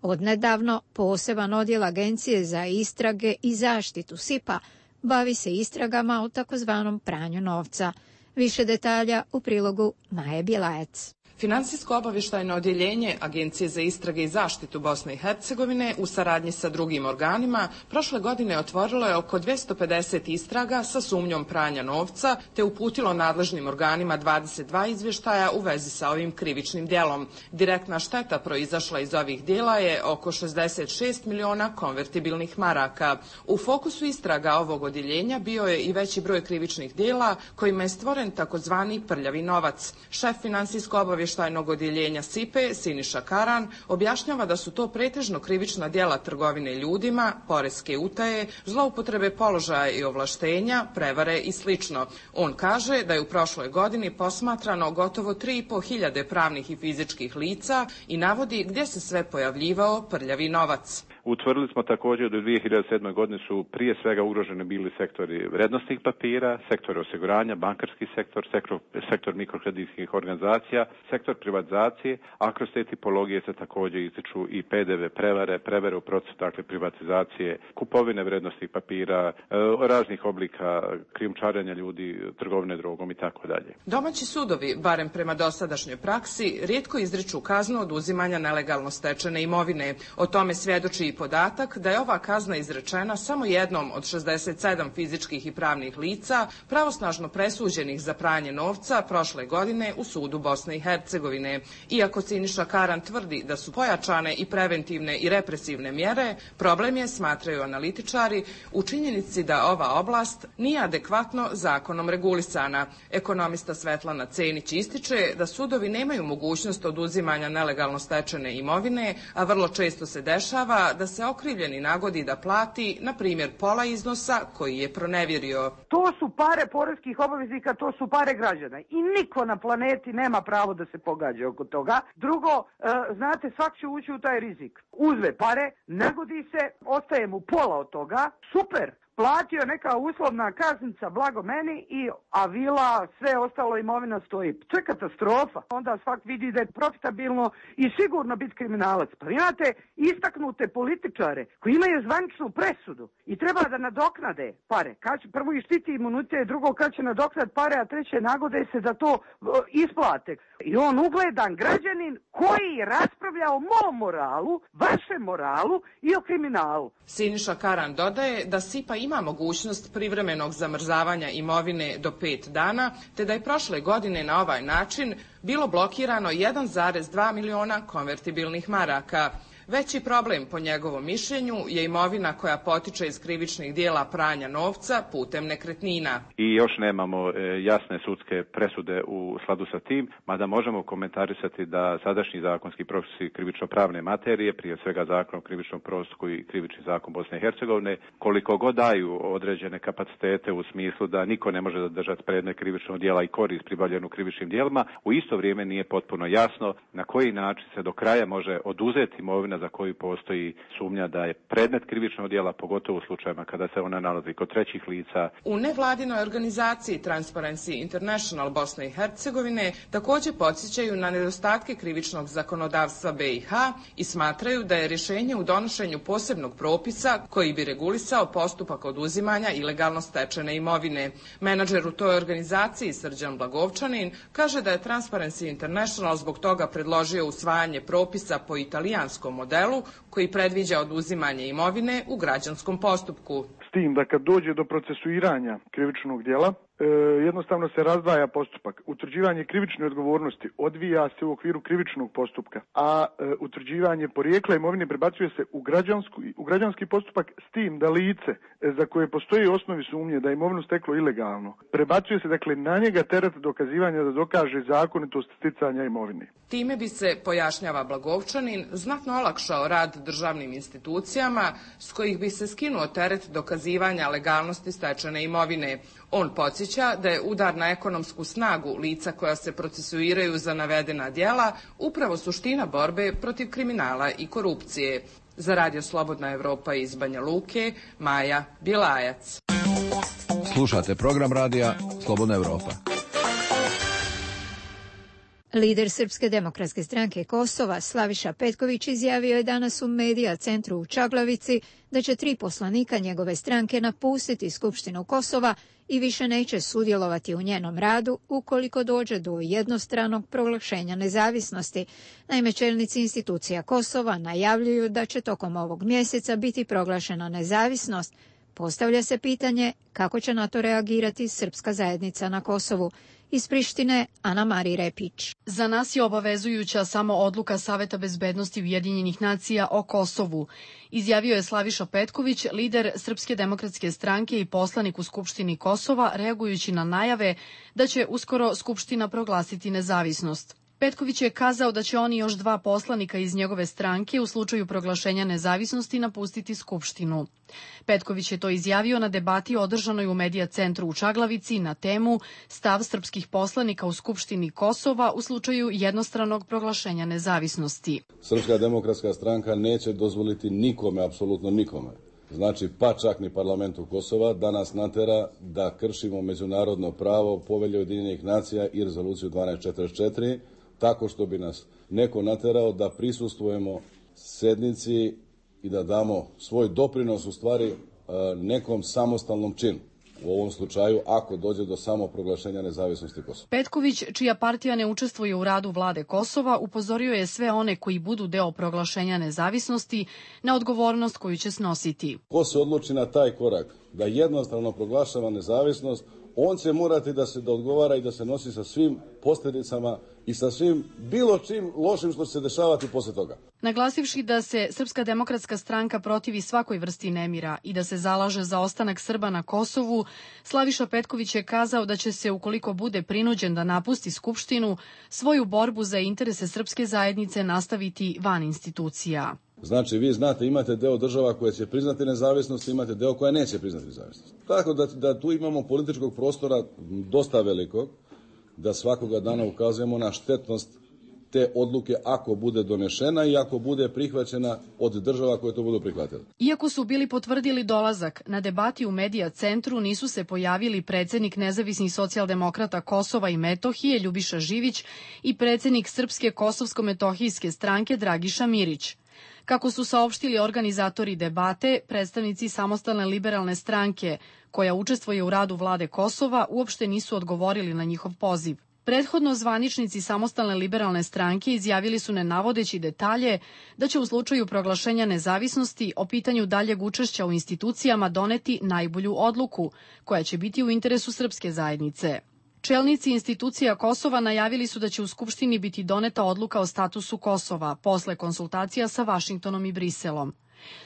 Odnedavno poseban odjel Agencije za istrage i zaštitu S I P-a bavi se istragama o takozvanom pranju novca. Više detalja u prilogu Maje Bjelajac. Finansijsko-obavještajno odjeljenje Agencije za istrage i zaštitu Bosne i Hercegovine u saradnji sa drugim organima prošle godine otvorilo je oko dvjesto pedeset istraga sa sumnjom pranja novca te uputilo nadležnim organima dvadeset dva izvještaja u vezi sa ovim krivičnim djelom. Direktna šteta proizašla iz ovih djela je oko šezdeset šest miliona konvertibilnih maraka. U fokusu istraga ovog odjeljenja bio je i veći broj krivičnih djela kojima je stvoren takozvani prljavi novac. Šef finansijsko-obavještajnog Tajnog odjeljenja S I P E, Siniša Karan, objašnjava da su to pretežno krivična djela trgovine ljudima, poreske utaje, zloupotrebe položaja i ovlaštenja, prevare i slično. On kaže da je u prošloj godini posmatrano gotovo tri i po hiljade pravnih i fizičkih lica i navodi gdje se sve pojavljivao prljavi novac. Utvrdili smo također da u dvije hiljade sedme. godine su prije svega ugroženi bili sektori vrednosnih papira, sektor osiguranja, bankarski sektor, sektor, sektor mikrokreditskih organizacija, sektor privatizacije, a kroz te tipologije se također ističu i P D V prevare, prevare u procesu dakle privatizacije, kupovine vrednosnih papira, raznih oblika krijumčarenja ljudi, trgovine drogom i tako dalje. Domaći sudovi, barem prema dosadašnjoj praksi, rijetko izriču kaznu oduzimanja nelegalno stečene imovine. O tome svjedoči i podatak da je ova kazna izrečena samo jednom od šezdeset sedam fizičkih i pravnih lica pravosnažno presuđenih za pranje novca prošle godine u sudu Bosne i Hercegovine. Iako Siniša Karan tvrdi da su pojačane i preventivne i represivne mjere, problem je, smatraju analitičari, u činjenici da ova oblast nije adekvatno zakonom regulisana. Ekonomista Svetlana Cenić ističe da sudovi nemaju mogućnost oduzimanja nelegalno stečene imovine, a vrlo često se dešava da se okrivljeni nagodi da plati, na primjer, pola iznosa koji je pronevjerio. To su pare poreskih obveznika, to su pare građana i niko na planeti nema pravo da se pogađa oko toga. Drugo, e, znate, svak će ući u taj rizik. Uzme pare, nagodi se, ostaje mu pola od toga, super, platio neka uslovna kaznica blago meni i a vila, sve ostalo imovina stoji. To je katastrofa. Onda svak vidi da je profitabilno i sigurno biti kriminalac. Pa imate istaknute političare koji imaju zvaničnu presudu i treba da nadoknade pare. Kad će prvo ištiti imunitet, drugo kad će nadoknat pare, a treće nagode se da to isplate. I on ugledan građanin koji raspravlja o mom moralu, vašem moralu i o kriminalu. Siniša Karan dodaje da SIPA ima mogućnost privremenog zamrzavanja imovine do pet dana, te da je prošle godine na ovaj način bilo blokirano jedan zarez dva miliona konvertibilnih maraka. Veći problem, po njegovom mišljenju, je imovina koja potiče iz krivičnih dijela pranja novca putem nekretnina. I još nemamo e, jasne sudske presude u skladu sa tim, mada možemo komentarisati da sadašnji zakonski propisi krivično-pravne materije, prije svega zakon o krivičnom postupku i krivični zakon Bosne i Hercegovine, koliko god daju određene kapacitete u smislu da niko ne može zadržati predmet krivičnog dijela i korist pribavljenu krivičnim dijelima, u isto vrijeme nije potpuno jasno na koji način se do kraja može oduzeti imovina za koju postoji sumnja da je predmet krivičnog djela, pogotovo u slučajevima kada se ona nalazi kod trećih lica. U nevladinoj organizaciji Transparency International Bosne i Hercegovine također podsjećaju na nedostatke krivičnog zakonodavstva be i ha i smatraju da je rješenje u donošenju posebnog propisa koji bi regulisao postupak oduzimanja ilegalno stečene imovine. Menadžer u toj organizaciji Srđan Blagovčanin kaže da je Transparency International zbog toga predložio usvajanje propisa po italijanskom modelu koji predviđa oduzimanje imovine u građanskom postupku. S tim da kad dođe do procesuiranja krivičnog djela, e, jednostavno se razdvaja postupak. Utvrđivanje krivične odgovornosti odvija se u okviru krivičnog postupka, a e, utvrđivanje porijekla imovine prebacuje se u, u građanski postupak, s tim da lice e, za koje postoji osnovi sumnje da je imovinu steklo ilegalno, prebacuje se dakle na njega teret dokazivanja da dokaže zakonitost sticanja imovine. Time bi se, pojašnjava Blagovčanin, znatno olakšao rad državnim institucijama s kojih bi se skinuo teret dokazivanja legalnosti stečene imovine. On podsjeća da je udar na ekonomsku snagu lica koja se procesuiraju za navedena djela upravo suština borbe protiv kriminala i korupcije. Za Radio Slobodna Evropa iz Banja Luke, Maja Bilajac. Slušate program radija Slobodna Evropa. Lider Srpske demokratske stranke Kosova, Slaviša Petković, izjavio je danas u Medija centru u Čaglavici da će tri poslanika njegove stranke napustiti Skupštinu Kosova i više neće sudjelovati u njenom radu ukoliko dođe do jednostranog proglašenja nezavisnosti. Naime, čelnici institucija Kosova najavljuju da će tokom ovog mjeseca biti proglašena nezavisnost. Postavlja se pitanje kako će na to reagirati srpska zajednica na Kosovu. Iz Prištine, Ana Mari Repić. Za nas je obavezujuća samo odluka Saveta bezbednosti Ujedinjenih nacija o Kosovu, izjavio je Slaviša Petković, lider Srpske demokratske stranke i poslanik u Skupštini Kosova, reagujući na najave da će uskoro Skupština proglasiti nezavisnost. Petković je kazao da će oni još dva poslanika iz njegove stranke u slučaju proglašenja nezavisnosti napustiti Skupštinu. Petković je to izjavio na debati održanoj u Medija centru u Čaglavici na temu stav srpskih poslanika u Skupštini Kosova u slučaju jednostranog proglašenja nezavisnosti. Srpska demokratska stranka neće dozvoliti nikome, apsolutno nikome, znači pa čak ni parlamentu Kosova, da nas natera da kršimo međunarodno pravo, Povelje Ujedinjenih nacija i rezoluciju dvanaest četrdeset četiri, tako što bi nas neko naterao da prisustvujemo sednici i da damo svoj doprinos u stvari nekom samostalnom činu. U ovom slučaju, ako dođe do samoproglašenja nezavisnosti Kosova. Petković, čija partija ne učestvuje u radu vlade Kosova, upozorio je sve one koji budu deo proglašenja nezavisnosti na odgovornost koju će snositi. Ko se odluči na taj korak da jednostavno proglašava nezavisnost, on će morati da se da odgovara i da se nosi sa svim posljedicama i sa svim bilo čim lošim što će se dešavati posle toga. Naglasivši da se Srpska demokratska stranka protivi svakoj vrsti nemira i da se zalaže za ostanak Srba na Kosovu, Slaviša Petković je kazao da će se, ukoliko bude prinuđen da napusti Skupštinu, svoju borbu za interese srpske zajednice nastaviti van institucija. Znači, vi znate, imate deo država koje će priznati nezavisnost, imate deo koja neće priznati nezavisnost. Tako da, da tu imamo političkog prostora dosta velikog, da svakoga dana ukazujemo na štetnost te odluke ako bude donešena i ako bude prihvaćena od država koje to budu prihvatile. Iako su bili potvrdili dolazak, na debati u Medija centru nisu se pojavili predsednik nezavisnih socijaldemokrata Kosova i Metohije Ljubiša Živić i predsednik Srpske kosovsko-metohijske stranke Dragiša Mirić. Kako su saopštili organizatori debate, predstavnici Samostalne liberalne stranke, koja učestvuje u radu vlade Kosova, uopšte nisu odgovorili na njihov poziv. Prethodno zvaničnici Samostalne liberalne stranke izjavili su, ne navodeći detalje, da će u slučaju proglašenja nezavisnosti o pitanju daljeg učešća u institucijama doneti najbolju odluku, koja će biti u interesu srpske zajednice. Čelnici institucija Kosova najavili su da će u Skupštini biti doneta odluka o statusu Kosova posle konsultacija sa Vašingtonom i Briselom.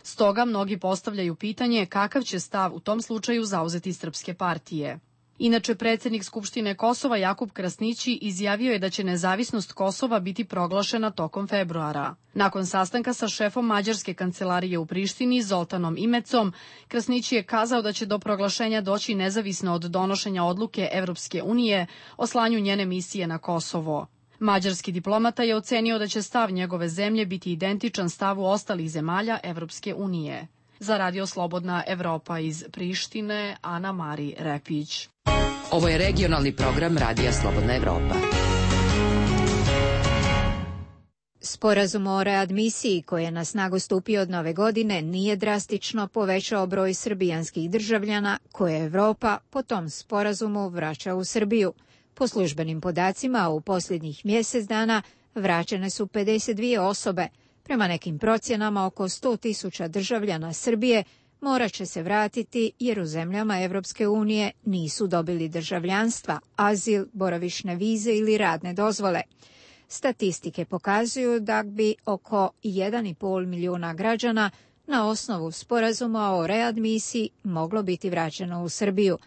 Stoga mnogi postavljaju pitanje kakav će stav u tom slučaju zauzeti srpske partije. Inače, predsednik Skupštine Kosova Jakub Krasnići izjavio je da će nezavisnost Kosova biti proglašena tokom februara. Nakon sastanka sa šefom Mađarske kancelarije u Prištini, Zoltanom Imecom, Krasnići je kazao da će do proglašenja doći nezavisno od donošenja odluke Evropske unije o slanju njene misije na Kosovo. Mađarski diplomata je ocenio da će stav njegove zemlje biti identičan stavu ostalih zemalja Evropske unije. Za Radio Slobodna Evropa iz Prištine, Ana Mari Repić. Ovo je regionalni program Radija Slobodna Evropa. Sporazum o readmisiji koji je na snagu stupio od nove godine nije drastično povećao broj srbijanskih državljana koje Evropa po tom sporazumu vraća u Srbiju. Po službenim podacima u posljednjih mjesec dana vraćene su pedeset dvije osobe. Prema nekim procjenama oko sto tisuća državljana Srbije morat će se vratiti jer u zemljama Evropske unije nisu dobili državljanstva, azil, boravišne vize ili radne dozvole. Statistike pokazuju da bi oko jedan i pol milijuna građana na osnovu sporazuma o readmisiji moglo biti vraćeno u Srbiju.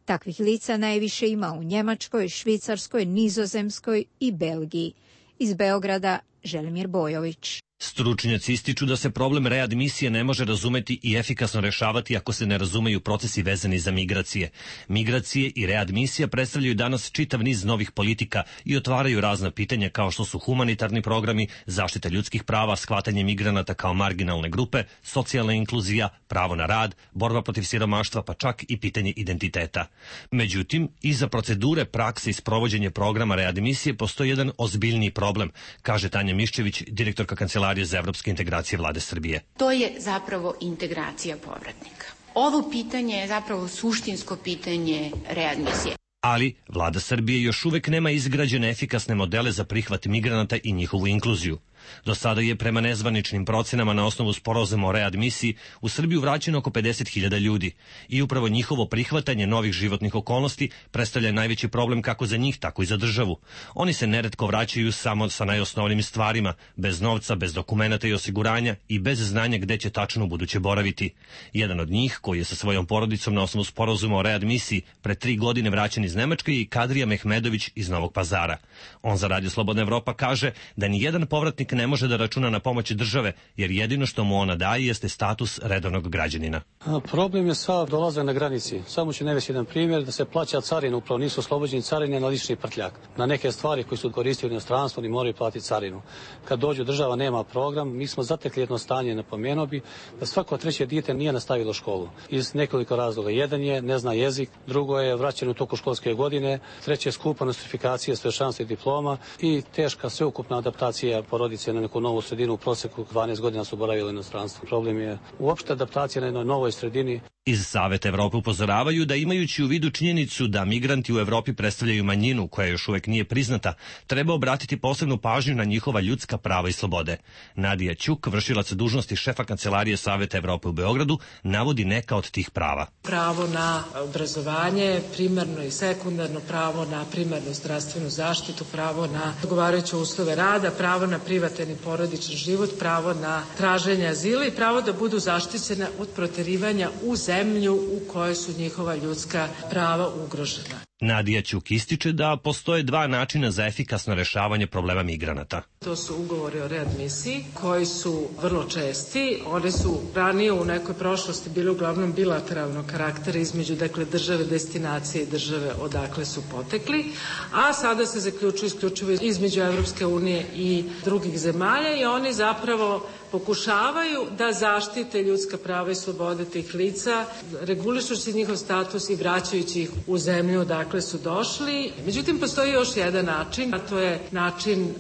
Takvih lica najviše ima u Njemačkoj, Švicarskoj, Nizozemskoj i Belgiji. Iz Beograda Želimir Bojović. Stručnjaci ističu da se problem readmisije ne može razumeti i efikasno rešavati ako se ne razumeju procesi vezani za migracije. Migracije i readmisija predstavljaju danas čitav niz novih politika i otvaraju razna pitanja kao što su humanitarni programi, zaštita ljudskih prava, shvatanje migranata kao marginalne grupe, socijalna inkluzija, pravo na rad, borba protiv siromaštva, pa čak i pitanje identiteta. Međutim, iza procedure, prakse i sprovođenje programa readmisije postoji jedan ozbiljniji problem, kaže Tanja Miščević, direktorka Kancelarije za evropske integracije vlade Srbije. To je zapravo integracija povratnika. Ovo pitanje je zapravo suštinsko pitanje readmisije. Ali vlada Srbije još uvek nema izgrađene efikasne modele za prihvat migranata i njihovu inkluziju. Do sada je prema nezvaničnim procenama na osnovu sporazuma o readmisiji u Srbiju vraćeno oko pedeset hiljada ljudi i upravo njihovo prihvatanje novih životnih okolnosti predstavlja najveći problem kako za njih, tako i za državu. Oni se neretko vraćaju samo sa najosnovnijim stvarima, bez novca, bez dokumenata i osiguranja i bez znanja gde će tačno u buduće boraviti. Jedan od njih, koji je sa svojom porodicom na osnovu sporazuma o readmisiji pre tri godine vraćen iz Nemačke, je Kadrija Mehmedović iz Novog Pazara. On za Radio Slobodna Evropa kaže da ni jedan povratnik ne može da računa na pomoć države, jer jedino što mu ona daje jeste status redovnog građanina. A, problem je sav dolazak na granici. Samo ću navesti jedan primjer da se plaća carina, upravo nisu oslobođeni carine na lični prtljak. Na neke stvari koje su koristili u inostranstvu oni moraju platiti carinu. Kad dođu država nema program, mi smo zatekli jedno stanje, napomenuo bi da svako treće dijete nije nastavilo školu. Iz nekoliko razloga. Jedan je ne zna jezik, drugo je vraćen u toku školske godine, treće je skupa nostrifikacija svešćanstva i diploma i teška sveukupna adaptacija porodice na neku novu sredinu. U proseku dvanaest godina su boravili u inostranstvu. Problem je uopšte adaptacija na jednoj novoj sredini. Iz Saveta Evrope upozoravaju da imajući u vidu činjenicu da migranti u Evropi predstavljaju manjinu koja još uvek nije priznata, treba obratiti posebnu pažnju na njihova ljudska prava i slobode. Nadija Ćuk, vršilac dužnosti šefa Kancelarije Saveta Evrope u Beogradu, navodi neka od tih prava. Pravo na obrazovanje, primarno i sekundarno, pravo na primarnu zdravstvenu zaštitu, pravo na odgovarajuće uslove rada, pravo na privatan i porodičan život, pravo na traženje azila i pravo da budu zaštićena od proterivanja u zemlju u kojoj su njihova ljudska prava ugrožena. Nadija Ćuk ističe da postoje dva načina za efikasno rešavanje problema migranata. To su ugovori o readmisiji koji su vrlo česti. Oni su ranije u nekoj prošlosti bili uglavnom bilateralnog karaktera između dakle, države destinacije i države odakle su potekli, a sada se zaključuju isključivo između Evropske unije i drugih zemalja i oni zapravo pokušavaju da zaštite ljudska prava i slobode tih lica, regulišući njihov status i vraćajući ih u zemlju odakle su došli. Međutim, postoji još jedan način, a to je način um,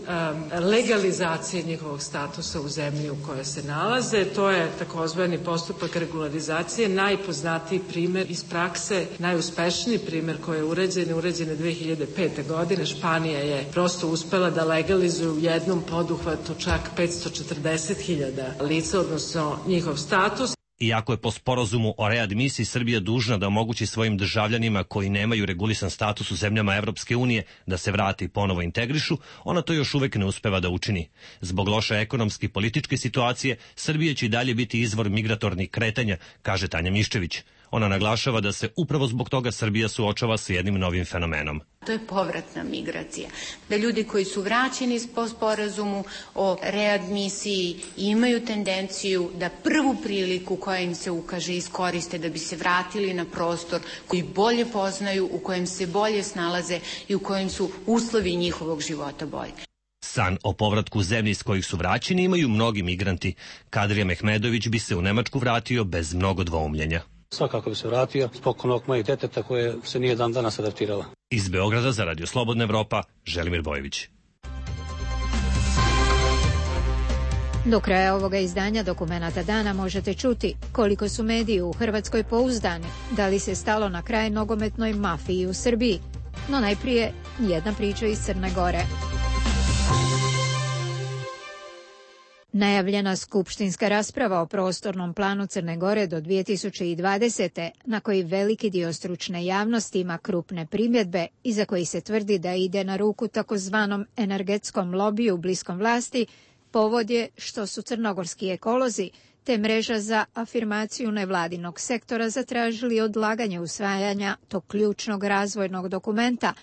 legalizacije njihovog statusa u zemlji u kojoj se nalaze. To je takozvani postupak regularizacije, najpoznatiji primjer iz prakse, najuspešniji primjer koji je uređen, uređen je dve hiljade pete. godine. Španija je prosto uspela da legalizuje u jednom poduhvatu čak petsto četrdeset hiljada lica, odnosno njihov status. Iako je po sporazumu o readmisiji Srbija dužna da omogući svojim državljanima koji nemaju regulisan status u zemljama Evropske unije da se vrati i ponovo integrišu, ona to još uvek ne uspeva da učini. Zbog loše ekonomske i političke situacije, Srbija će i dalje biti izvor migratornih kretanja, kaže Tanja Miščević. Ona naglašava da se upravo zbog toga Srbija suočava sa jednim novim fenomenom. To je povratna migracija. Da ljudi koji su vraćeni po sporazumu o readmisiji imaju tendenciju da prvu priliku koja im se ukaže iskoriste da bi se vratili na prostor koji bolje poznaju, u kojem se bolje snalaze i u kojem su uslovi njihovog života bolji. San o povratku u zemlji iz kojih su vraćeni imaju mnogi migranti. Kadrija Mehmedović bi se u Nemačku vratio bez mnogo dvoumljenja. Svakako bi se vratio zbog onog mojeg deteta koje se nije dan danas adaptirala. Iz Beograda za Radio Slobodna Evropa, Želimir Bojević. Do kraja ovoga izdanja Dokumenata dana možete čuti koliko su mediji u Hrvatskoj pouzdani, da li se stalo na kraj nogometnoj mafiji u Srbiji. No najprije jedna priča iz Crne Gore. Najavljena skupštinska rasprava o prostornom planu Crne Gore do dvije tisuće dvadesete. na koji veliki dio stručne javnosti ima krupne primjedbe i za koji se tvrdi da ide na ruku takozvanom energetskom lobiju bliskom vlasti, povod je što su crnogorski ekolozi te mreža za afirmaciju nevladinog sektora zatražili odlaganje usvajanja tog ključnog razvojnog dokumenta,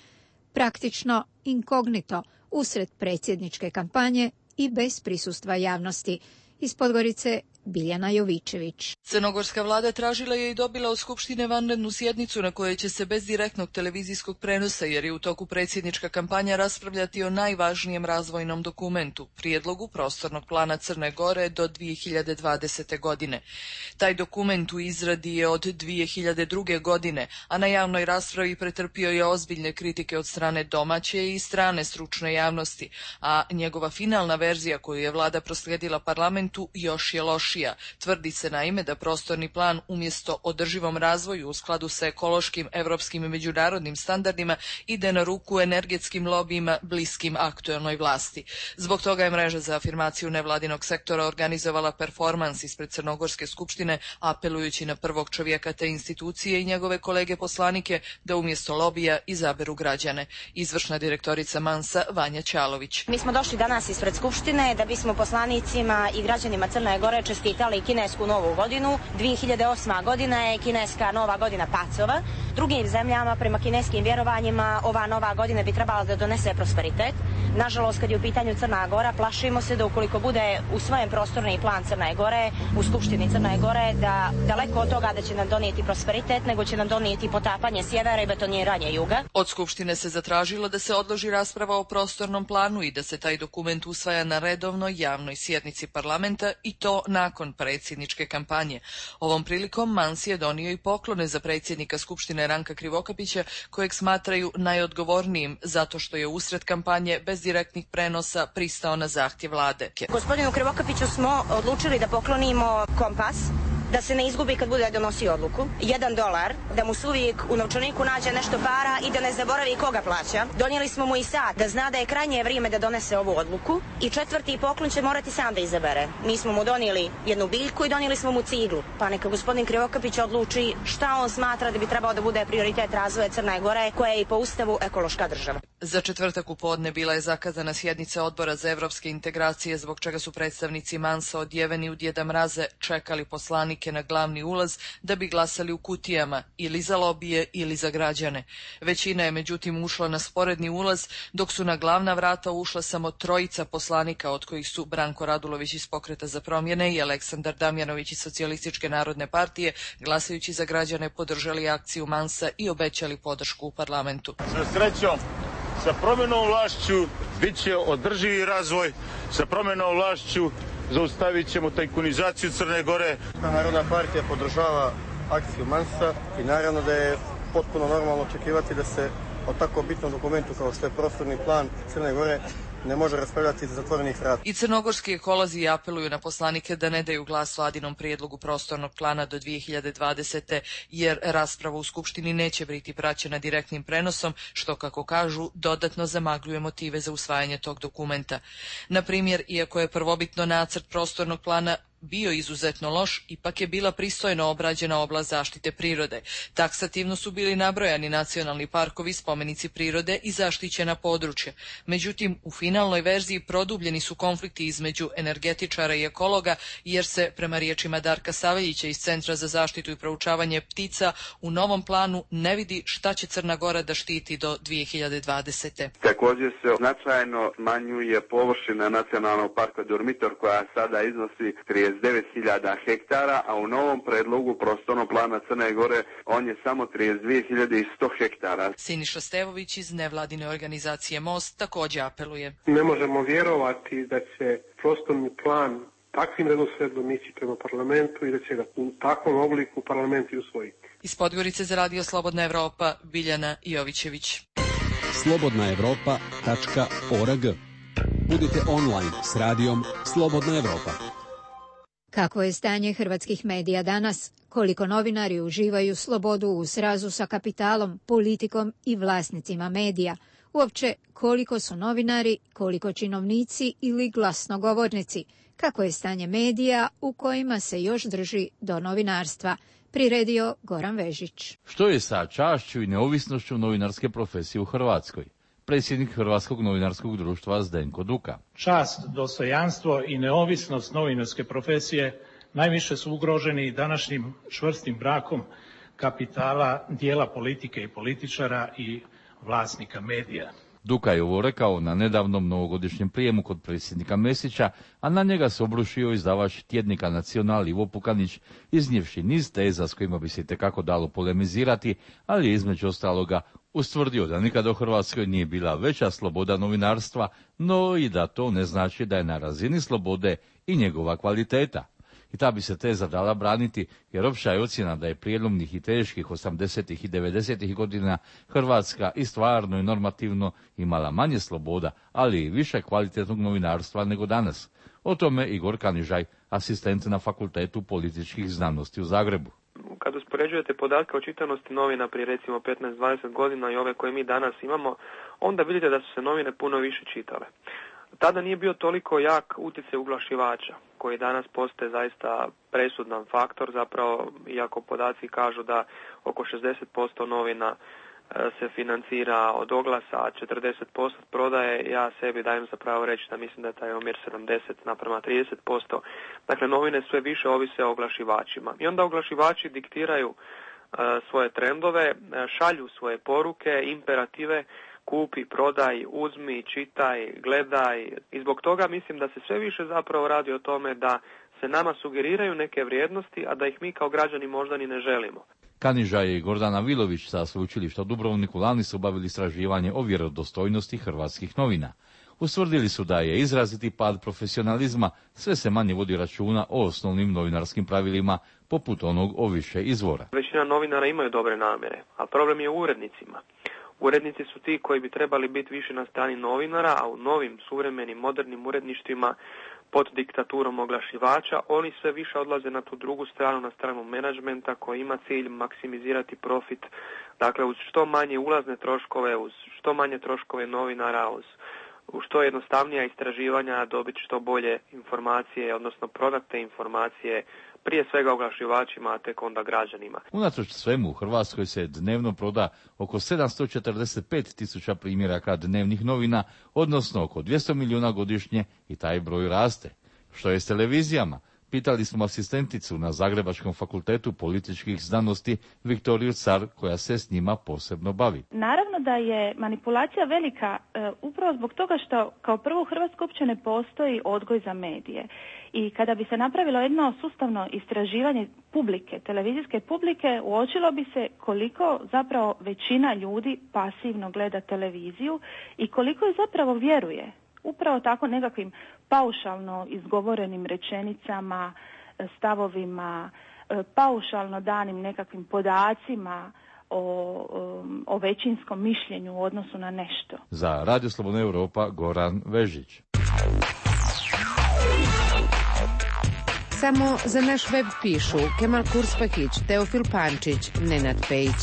praktično inkognito usred predsjedničke kampanje i bez prisustva javnosti. Iz Podgorice Biljana Jovičević. Crnogorska vlada tražila je i dobila od Skupštine vanrednu sjednicu na kojoj će se bez direktnog televizijskog prenosa, jer je u toku predsjednička kampanja, raspravljati o najvažnijem razvojnom dokumentu, prijedlogu prostornog plana Crne Gore do dvije hiljade dvadesete. godine. Taj dokument u izradi je od dvije hiljade druge. godine, a na javnoj raspravi pretrpio je ozbiljne kritike od strane domaće i strane stručne javnosti, a njegova finalna verzija koju je vlada proslijedila parlamentu još je lošija. Tvrdi se naime da prostorni plan umjesto održivom razvoju u skladu sa ekološkim, evropskim i međunarodnim standardima ide na ruku energetskim lobijima bliskim aktuelnoj vlasti. Zbog toga je mreža za afirmaciju nevladinog sektora organizovala performans ispred Crnogorske skupštine, apelujući na prvog čovjeka te institucije i njegove kolege poslanike da umjesto lobija izaberu građane. Izvršna direktorica Mansa Vanja Ćalović. Mi smo došli danas ispred skupštine da bismo poslanicima i građanima Crne Gore čestitali kinesku novu godinu. dvije hiljade osma. godina je kineska nova godina pacova. Drugim zemljama, prema kineskim vjerovanjima, ova nova godina bi trebala da donese prosperitet. Nažalost, kad je u pitanju Crna Gora, plašimo se da ukoliko bude u svojem prostorni plan Crne Gore, u Skupštini Crne Gore, da daleko od toga da će nam donijeti prosperitet, nego će nam donijeti potapanje sjevera i betoniranje juga. Od Skupštine se zatražilo da se odloži rasprava o prostornom planu i da se taj dokument usvaja na redovnoj javnoj sjednici parlamenta, i to nakon predsjedničke kampanje. Ovom prilikom Mans je donio i poklone za predsjednika Skupštine Ranka Krivokapića, kojeg smatraju najodgovornijim zato što je usred kampanje bez direktnih prenosa pristao na zahtjev vlade. Gospodinu Krivokapiću smo odlučili da poklonimo kompas, da se ne izgubi kad bude donosio odluku, jedan dolar, da mu se uvijek u novčaniku nađe nešto para i da ne zaboravi koga plaća. Donijeli smo mu i sat, da zna da je krajnje vrijeme da donese ovu odluku, i četvrti poklon će morati sam da izabere. Mi smo mu donijeli jednu biljku i donijeli smo mu ciglu, pa neka gospodin Krivokapić odluči šta on smatra da bi trebao da bude prioritet razvoja Crne Gore, koja je i po ustavu ekološka država. Za četvrtak u podne bila je zakazana sjednica Odbora za evropske integracije, zbog čega su predstavnici Mansa odjeveni u Djeda Mraze čekali poslanike na glavni ulaz da bi glasali u kutijama, ili za lobije ili za građane. Većina je međutim ušla na sporedni ulaz, dok su na glavna vrata ušla samo trojica poslanika, od kojih su Branko Radulović iz Pokreta za promjene i Aleksandar Damjanović iz Socijalističke narodne partije, glasajući za građane, podržali akciju Mansa i obećali podršku u parlamentu. Sa srećom, sa promjenom vlašću bit će održivi razvoj, sa promjenom vlašću zaustavit ćemo tajkunizaciju Crne Gore. Narodna partija podržava akciju Mansa i naravno da je potpuno normalno očekivati da se o tako bitnom dokumentu kao što je prostorni plan Crne Gore ne može raspravljati iz zatvorenih vrata. I crnogorski ekolozi apeluju na poslanike da ne daju glas vladinom prijedlogu prostornog plana do dvije hiljade dvadesete. jer rasprava u Skupštini neće biti praćena direktnim prenosom, što, kako kažu, dodatno zamagljuje motive za usvajanje tog dokumenta. Na primjer, iako je prvobitno nacrt prostornog plana bio izuzetno loš, ipak je bila pristojno obrađena oblast zaštite prirode. Taksativno su bili nabrojani nacionalni parkovi, spomenici prirode i zaštićena područja. Međutim, u finalnoj verziji produbljeni su konflikti između energetičara i ekologa, jer se, prema riječima Darka Saveljića iz Centra za zaštitu i proučavanje ptica, u novom planu ne vidi šta će Crna Gora da štiti do dvije hiljade dvadesete. Također se značajno smanjuje površina nacionalnog parka Durmitor, koja sada iznosi trideset devet hiljada hektara, a u novom predlogu prostornog plana Crne Gore on je samo trideset dvije hiljade sto hektara. Siniša Stevović iz nevladine organizacije Most također apeluje. Ne možemo vjerovati da će prostorni plan takvim redoslijedom ići prema parlamentu i da će ga u takvom obliku parlament i usvojiti. Iz Podgorice za Radio Slobodna Evropa, Biljana Jovićević. slobodna evropa tačka org. Budite online s radijom Slobodna Evropa. Kako je stanje hrvatskih medija danas? Koliko novinari uživaju slobodu u srazu sa kapitalom, politikom i vlasnicima medija? Uopće, koliko su novinari, koliko činovnici ili glasnogovornici? Kako je stanje medija u kojima se još drži do novinarstva? Priredio Goran Vežić. Što je sa čašću i neovisnošću novinarske profesije u Hrvatskoj? Predsjednik Hrvatskog novinarskog društva Zdenko Duka. Čast, dostojanstvo i neovisnost novinarske profesije najviše su ugroženi današnjim čvrstim brakom kapitala, dijela politike i političara i vlasnika medija. Duka je ovo rekao na nedavnom novogodišnjem prijemu kod predsjednika Mesića, a na njega se obrušio izdavač tjednika Nacional Ivo Pukanić, iznijevši niz teza s kojima bi se itekako dalo polemizirati, ali je između ostaloga ustvrdio da nikada u Hrvatskoj nije bila veća sloboda novinarstva, no i da to ne znači da je na razini slobode i njegova kvaliteta. I ta bi se teza dala braniti, jer opća je ocjena da je prijelomnih i teških osamdesetih i devedesetih godina Hrvatska i stvarno i normativno imala manje sloboda, ali i više kvalitetnog novinarstva nego danas. O tome Igor Kanižaj, asistent na Fakultetu političkih znanosti u Zagrebu. Kad uspoređujete podatke o čitanosti novina prije recimo petnaest dvadeset godina i ove koje mi danas imamo, onda vidite da su se novine puno više čitale. Tada nije bio toliko jak utjecaj uglašivača, koji danas postaje zaista presudan faktor, zapravo iako podaci kažu da oko šezdeset posto novina se financira od oglasa, a četrdeset posto prodaje, ja sebi dajem za pravo reći da mislim da je taj omjer sedamdeset naprema trideset posto. Dakle, novine sve više ovise o oglašivačima. I onda oglašivači diktiraju uh, svoje trendove, šalju svoje poruke, imperative, kupi, prodaj, uzmi, čitaj, gledaj. I zbog toga mislim da se sve više zapravo radi o tome da se nama sugeriraju neke vrijednosti, a da ih mi kao građani možda ni ne želimo. Kaniža i Gordana Vilović sa sveučilišta u Dubrovniku lani su obavili istraživanje o vjerodostojnosti hrvatskih novina. Ustvrdili su da je izraziti pad profesionalizma, sve se manje vodi računa o osnovnim novinarskim pravilima, poput onog o više izvora. Većina novinara imaju dobre namjere, a problem je u urednicima. Urednici su ti koji bi trebali biti više na strani novinara, a u novim, suvremenim, modernim uredništvima pod diktaturom oglašivača, oni sve više odlaze na tu drugu stranu, na stranu menadžmenta koji ima cilj maksimizirati profit, dakle uz što manje ulazne troškove, uz što manje troškove novinara, uz u što jednostavnija istraživanja dobiti što bolje informacije, odnosno prodati te informacije prije svega oglašivačima, a tek onda građanima. Unatoč svemu u Hrvatskoj se dnevno proda oko sedamsto četrdeset pet tisuća primjeraka dnevnih novina, odnosno oko dvjesto milijuna godišnje i taj broj raste. Što je s televizijama? Pitali smo asistenticu na Zagrebačkom fakultetu političkih znanosti Viktoriju Car, koja se s njima posebno bavi. Naravno da je manipulacija velika e, upravo zbog toga što kao prvo u Hrvatskoj uopće ne postoji odgoj za medije. I kada bi se napravilo jedno sustavno istraživanje publike, televizijske publike, uočilo bi se koliko zapravo većina ljudi pasivno gleda televiziju i koliko je zapravo vjeruje. Upravo tako nekakvim paušalno izgovorenim rečenicama, stavovima, paušalno danim nekakvim podacima o, o većinskom mišljenju u odnosu na nešto. Za Radio Slobodna Europa, Goran Vežić. Samo za naš web pišu Kemal Kurspahić, Teofil Pančić, Nenad Pejić.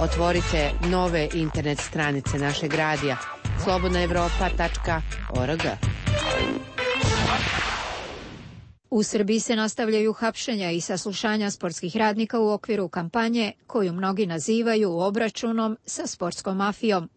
Otvorite nove internet stranice našeg radija slobodna evropa tačka org. U Srbiji se nastavljaju hapšenja i saslušanja sportskih radnika u okviru kampanje koju mnogi nazivaju obračunom sa sportskom mafijom.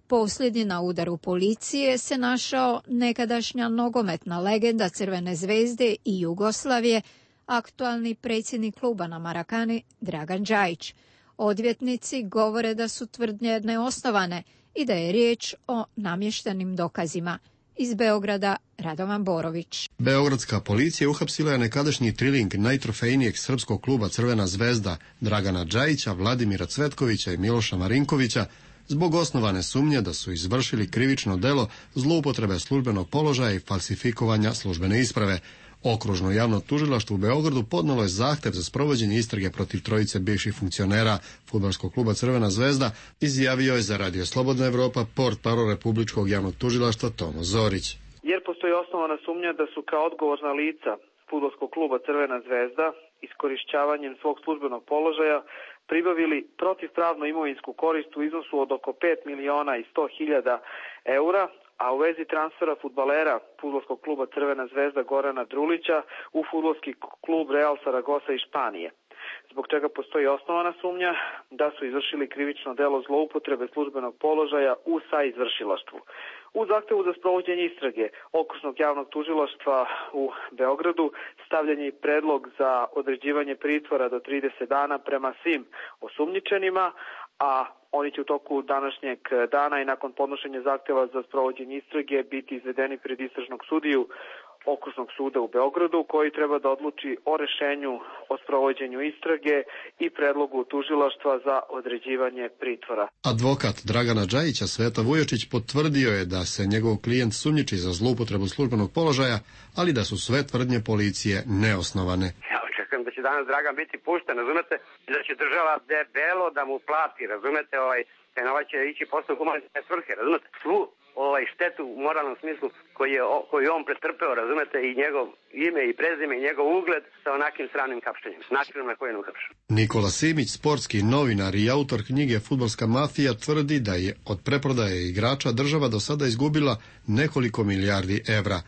Posljednji na udaru policije se našao nekadašnja nogometna legenda Crvene zvezde i Jugoslavije, aktualni predsjednik kluba na Marakani Dragan Džajić. Odvjetnici govore da su tvrdnje neosnovane i da je riječ o namještenim dokazima. Iz Beograda Radovan Borović. Beogradska policija uhapsila je nekadašnji triling najtrofejnijeg srpskog kluba Crvena zvezda Dragana Džajića, Vladimira Cvetkovića i Miloša Marinkovića zbog osnovane sumnje da su izvršili krivično delo zloupotrebe službenog položaja i falsifikovanja službene isprave. Okružno javno tužilaštvo u Beogradu podnijelo je zahtjev za sprovođenje istrage protiv trojice bivših funkcionera fudbalskog kluba Crvena zvezda, izjavio je za Radio Slobodna Evropa portparol Republičkog javnog tužilaštva Tomo Zorić. Jer postoji osnovana sumnja da su kao odgovorna lica fudbalskog kluba Crvena zvezda iskorišćavanjem svog službenog položaja pribavili protivpravnu imovinsku korist u iznosu od oko pet miliona i sto hiljada eura, a u vezi transfera fudbalera fudbalskog kluba Crvena zvezda Gorana Drulića u fudbalski klub Real Saragosa iz Španije, zbog čega postoji osnovana sumnja da su izvršili krivično delo zloupotrebe službenog položaja u saizvršilaštvu. U zahtevu za sprovođenje istrage Okružnog javnog tužilaštva u Beogradu stavljen je predlog za određivanje pritvora do trideset dana prema svim osumnjičenima, a oni će u toku današnjeg dana i nakon podnošenja zahteva za sprovođenje istrage biti izvedeni pred istražnog sudiju Okružnog suda u Beogradu, koji treba da odluči o rešenju o sprovođenju istrage i predlogu tužilaštva za određivanje pritvora. Advokat Dragana Džajića Sveta Vujočić potvrdio je da se njegov klijent sumnjiči za zloupotrebu službenog položaja, ali da su sve tvrdnje policije neosnovane. Ja očekujem da će danas Dragan biti pušten, razumete, i da će država debelo da mu plati, razumete, ovaj, taj novac će ići posle humanitarne svrhe, razumete, svu ovaj štetu u moralnom smislu koji je koju on pretrpeo, razumete, i njegov ime i prezime i njegov ugled sa onakim stranim hapšenjem, načinom na koji je uhapšen. Nikola Simić, sportski novinar i autor knjige Fudbalska mafija, tvrdi da je od preprodaje igrača država do sada izgubila nekoliko milijardi evra.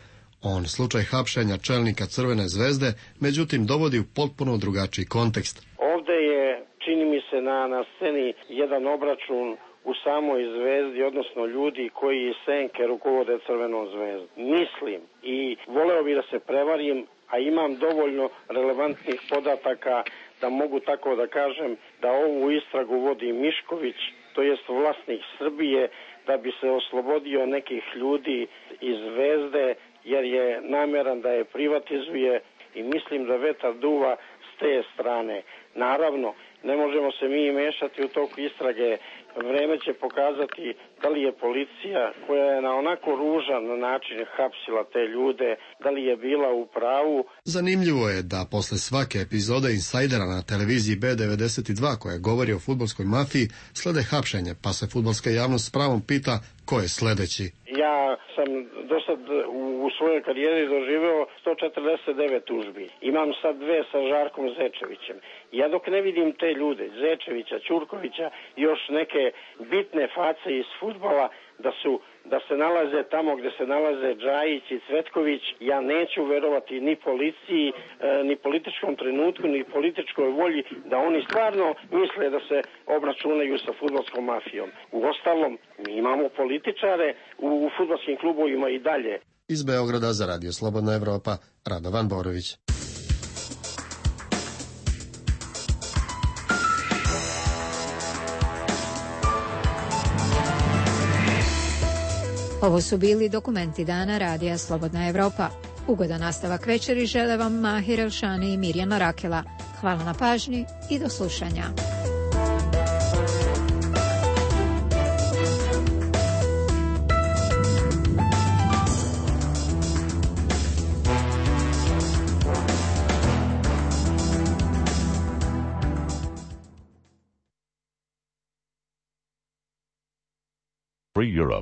On slučaj hapšenja čelnika Crvene zvezde međutim dovodi u potpuno drugačiji kontekst. Ovde je, čini mi se, na, na sceni jedan obračun u samoj zvezdi, odnosno ljudi koji iz senke rukovode Crvenom zvezdom. Mislim i voleo bih da se prevarim, a imam dovoljno relevantnih podataka da mogu tako da kažem da ovu istragu vodi Mišković, to jest vlasnik Srbije, da bi se oslobodio nekih ljudi iz zvezde, jer je nameran da je privatizuje i mislim da vetar duva s te strane. Naravno, ne možemo se mi mešati u toku istrage. Vreme će pokazati da li je policija, koja je na onako ružan način hapsila te ljude, da li je bila u pravu. Zanimljivo je da posle svake epizode Insajdera na televiziji B devedeset dva koja govori o fudbalskoj mafiji slede hapšenje, pa se fudbalska javnost s pravom pita ko je sledeći. Ja sam do sad u svojoj karijeri doživeo sto četrdeset devet tužbi. Imam sad dve sa Žarkom Zečevićem. Ja dok ne vidim te ljude, Zečevića, Ćurkovića, još neke bitne face iz fudbala, da su da se nalaze tamo gde se nalaze Džajić i Cvetković, ja neću verovati ni policiji, e, ni političkom trenutku, ni političkoj volji da oni stvarno misle da se obračunaju sa fudbalskom mafijom. Uostalom, mi imamo političare u, u fudbalskim klubovima i dalje. Iz Beograda za Radio Slobodna Evropa, Radovan Borović. Ovo su bili dokumenti dana Radija Slobodna Evropa. Ugodan nastavak večeri žele vam Mahir Elšani i Mirjana Rakela. Hvala na pažnji i do slušanja. Free Europe.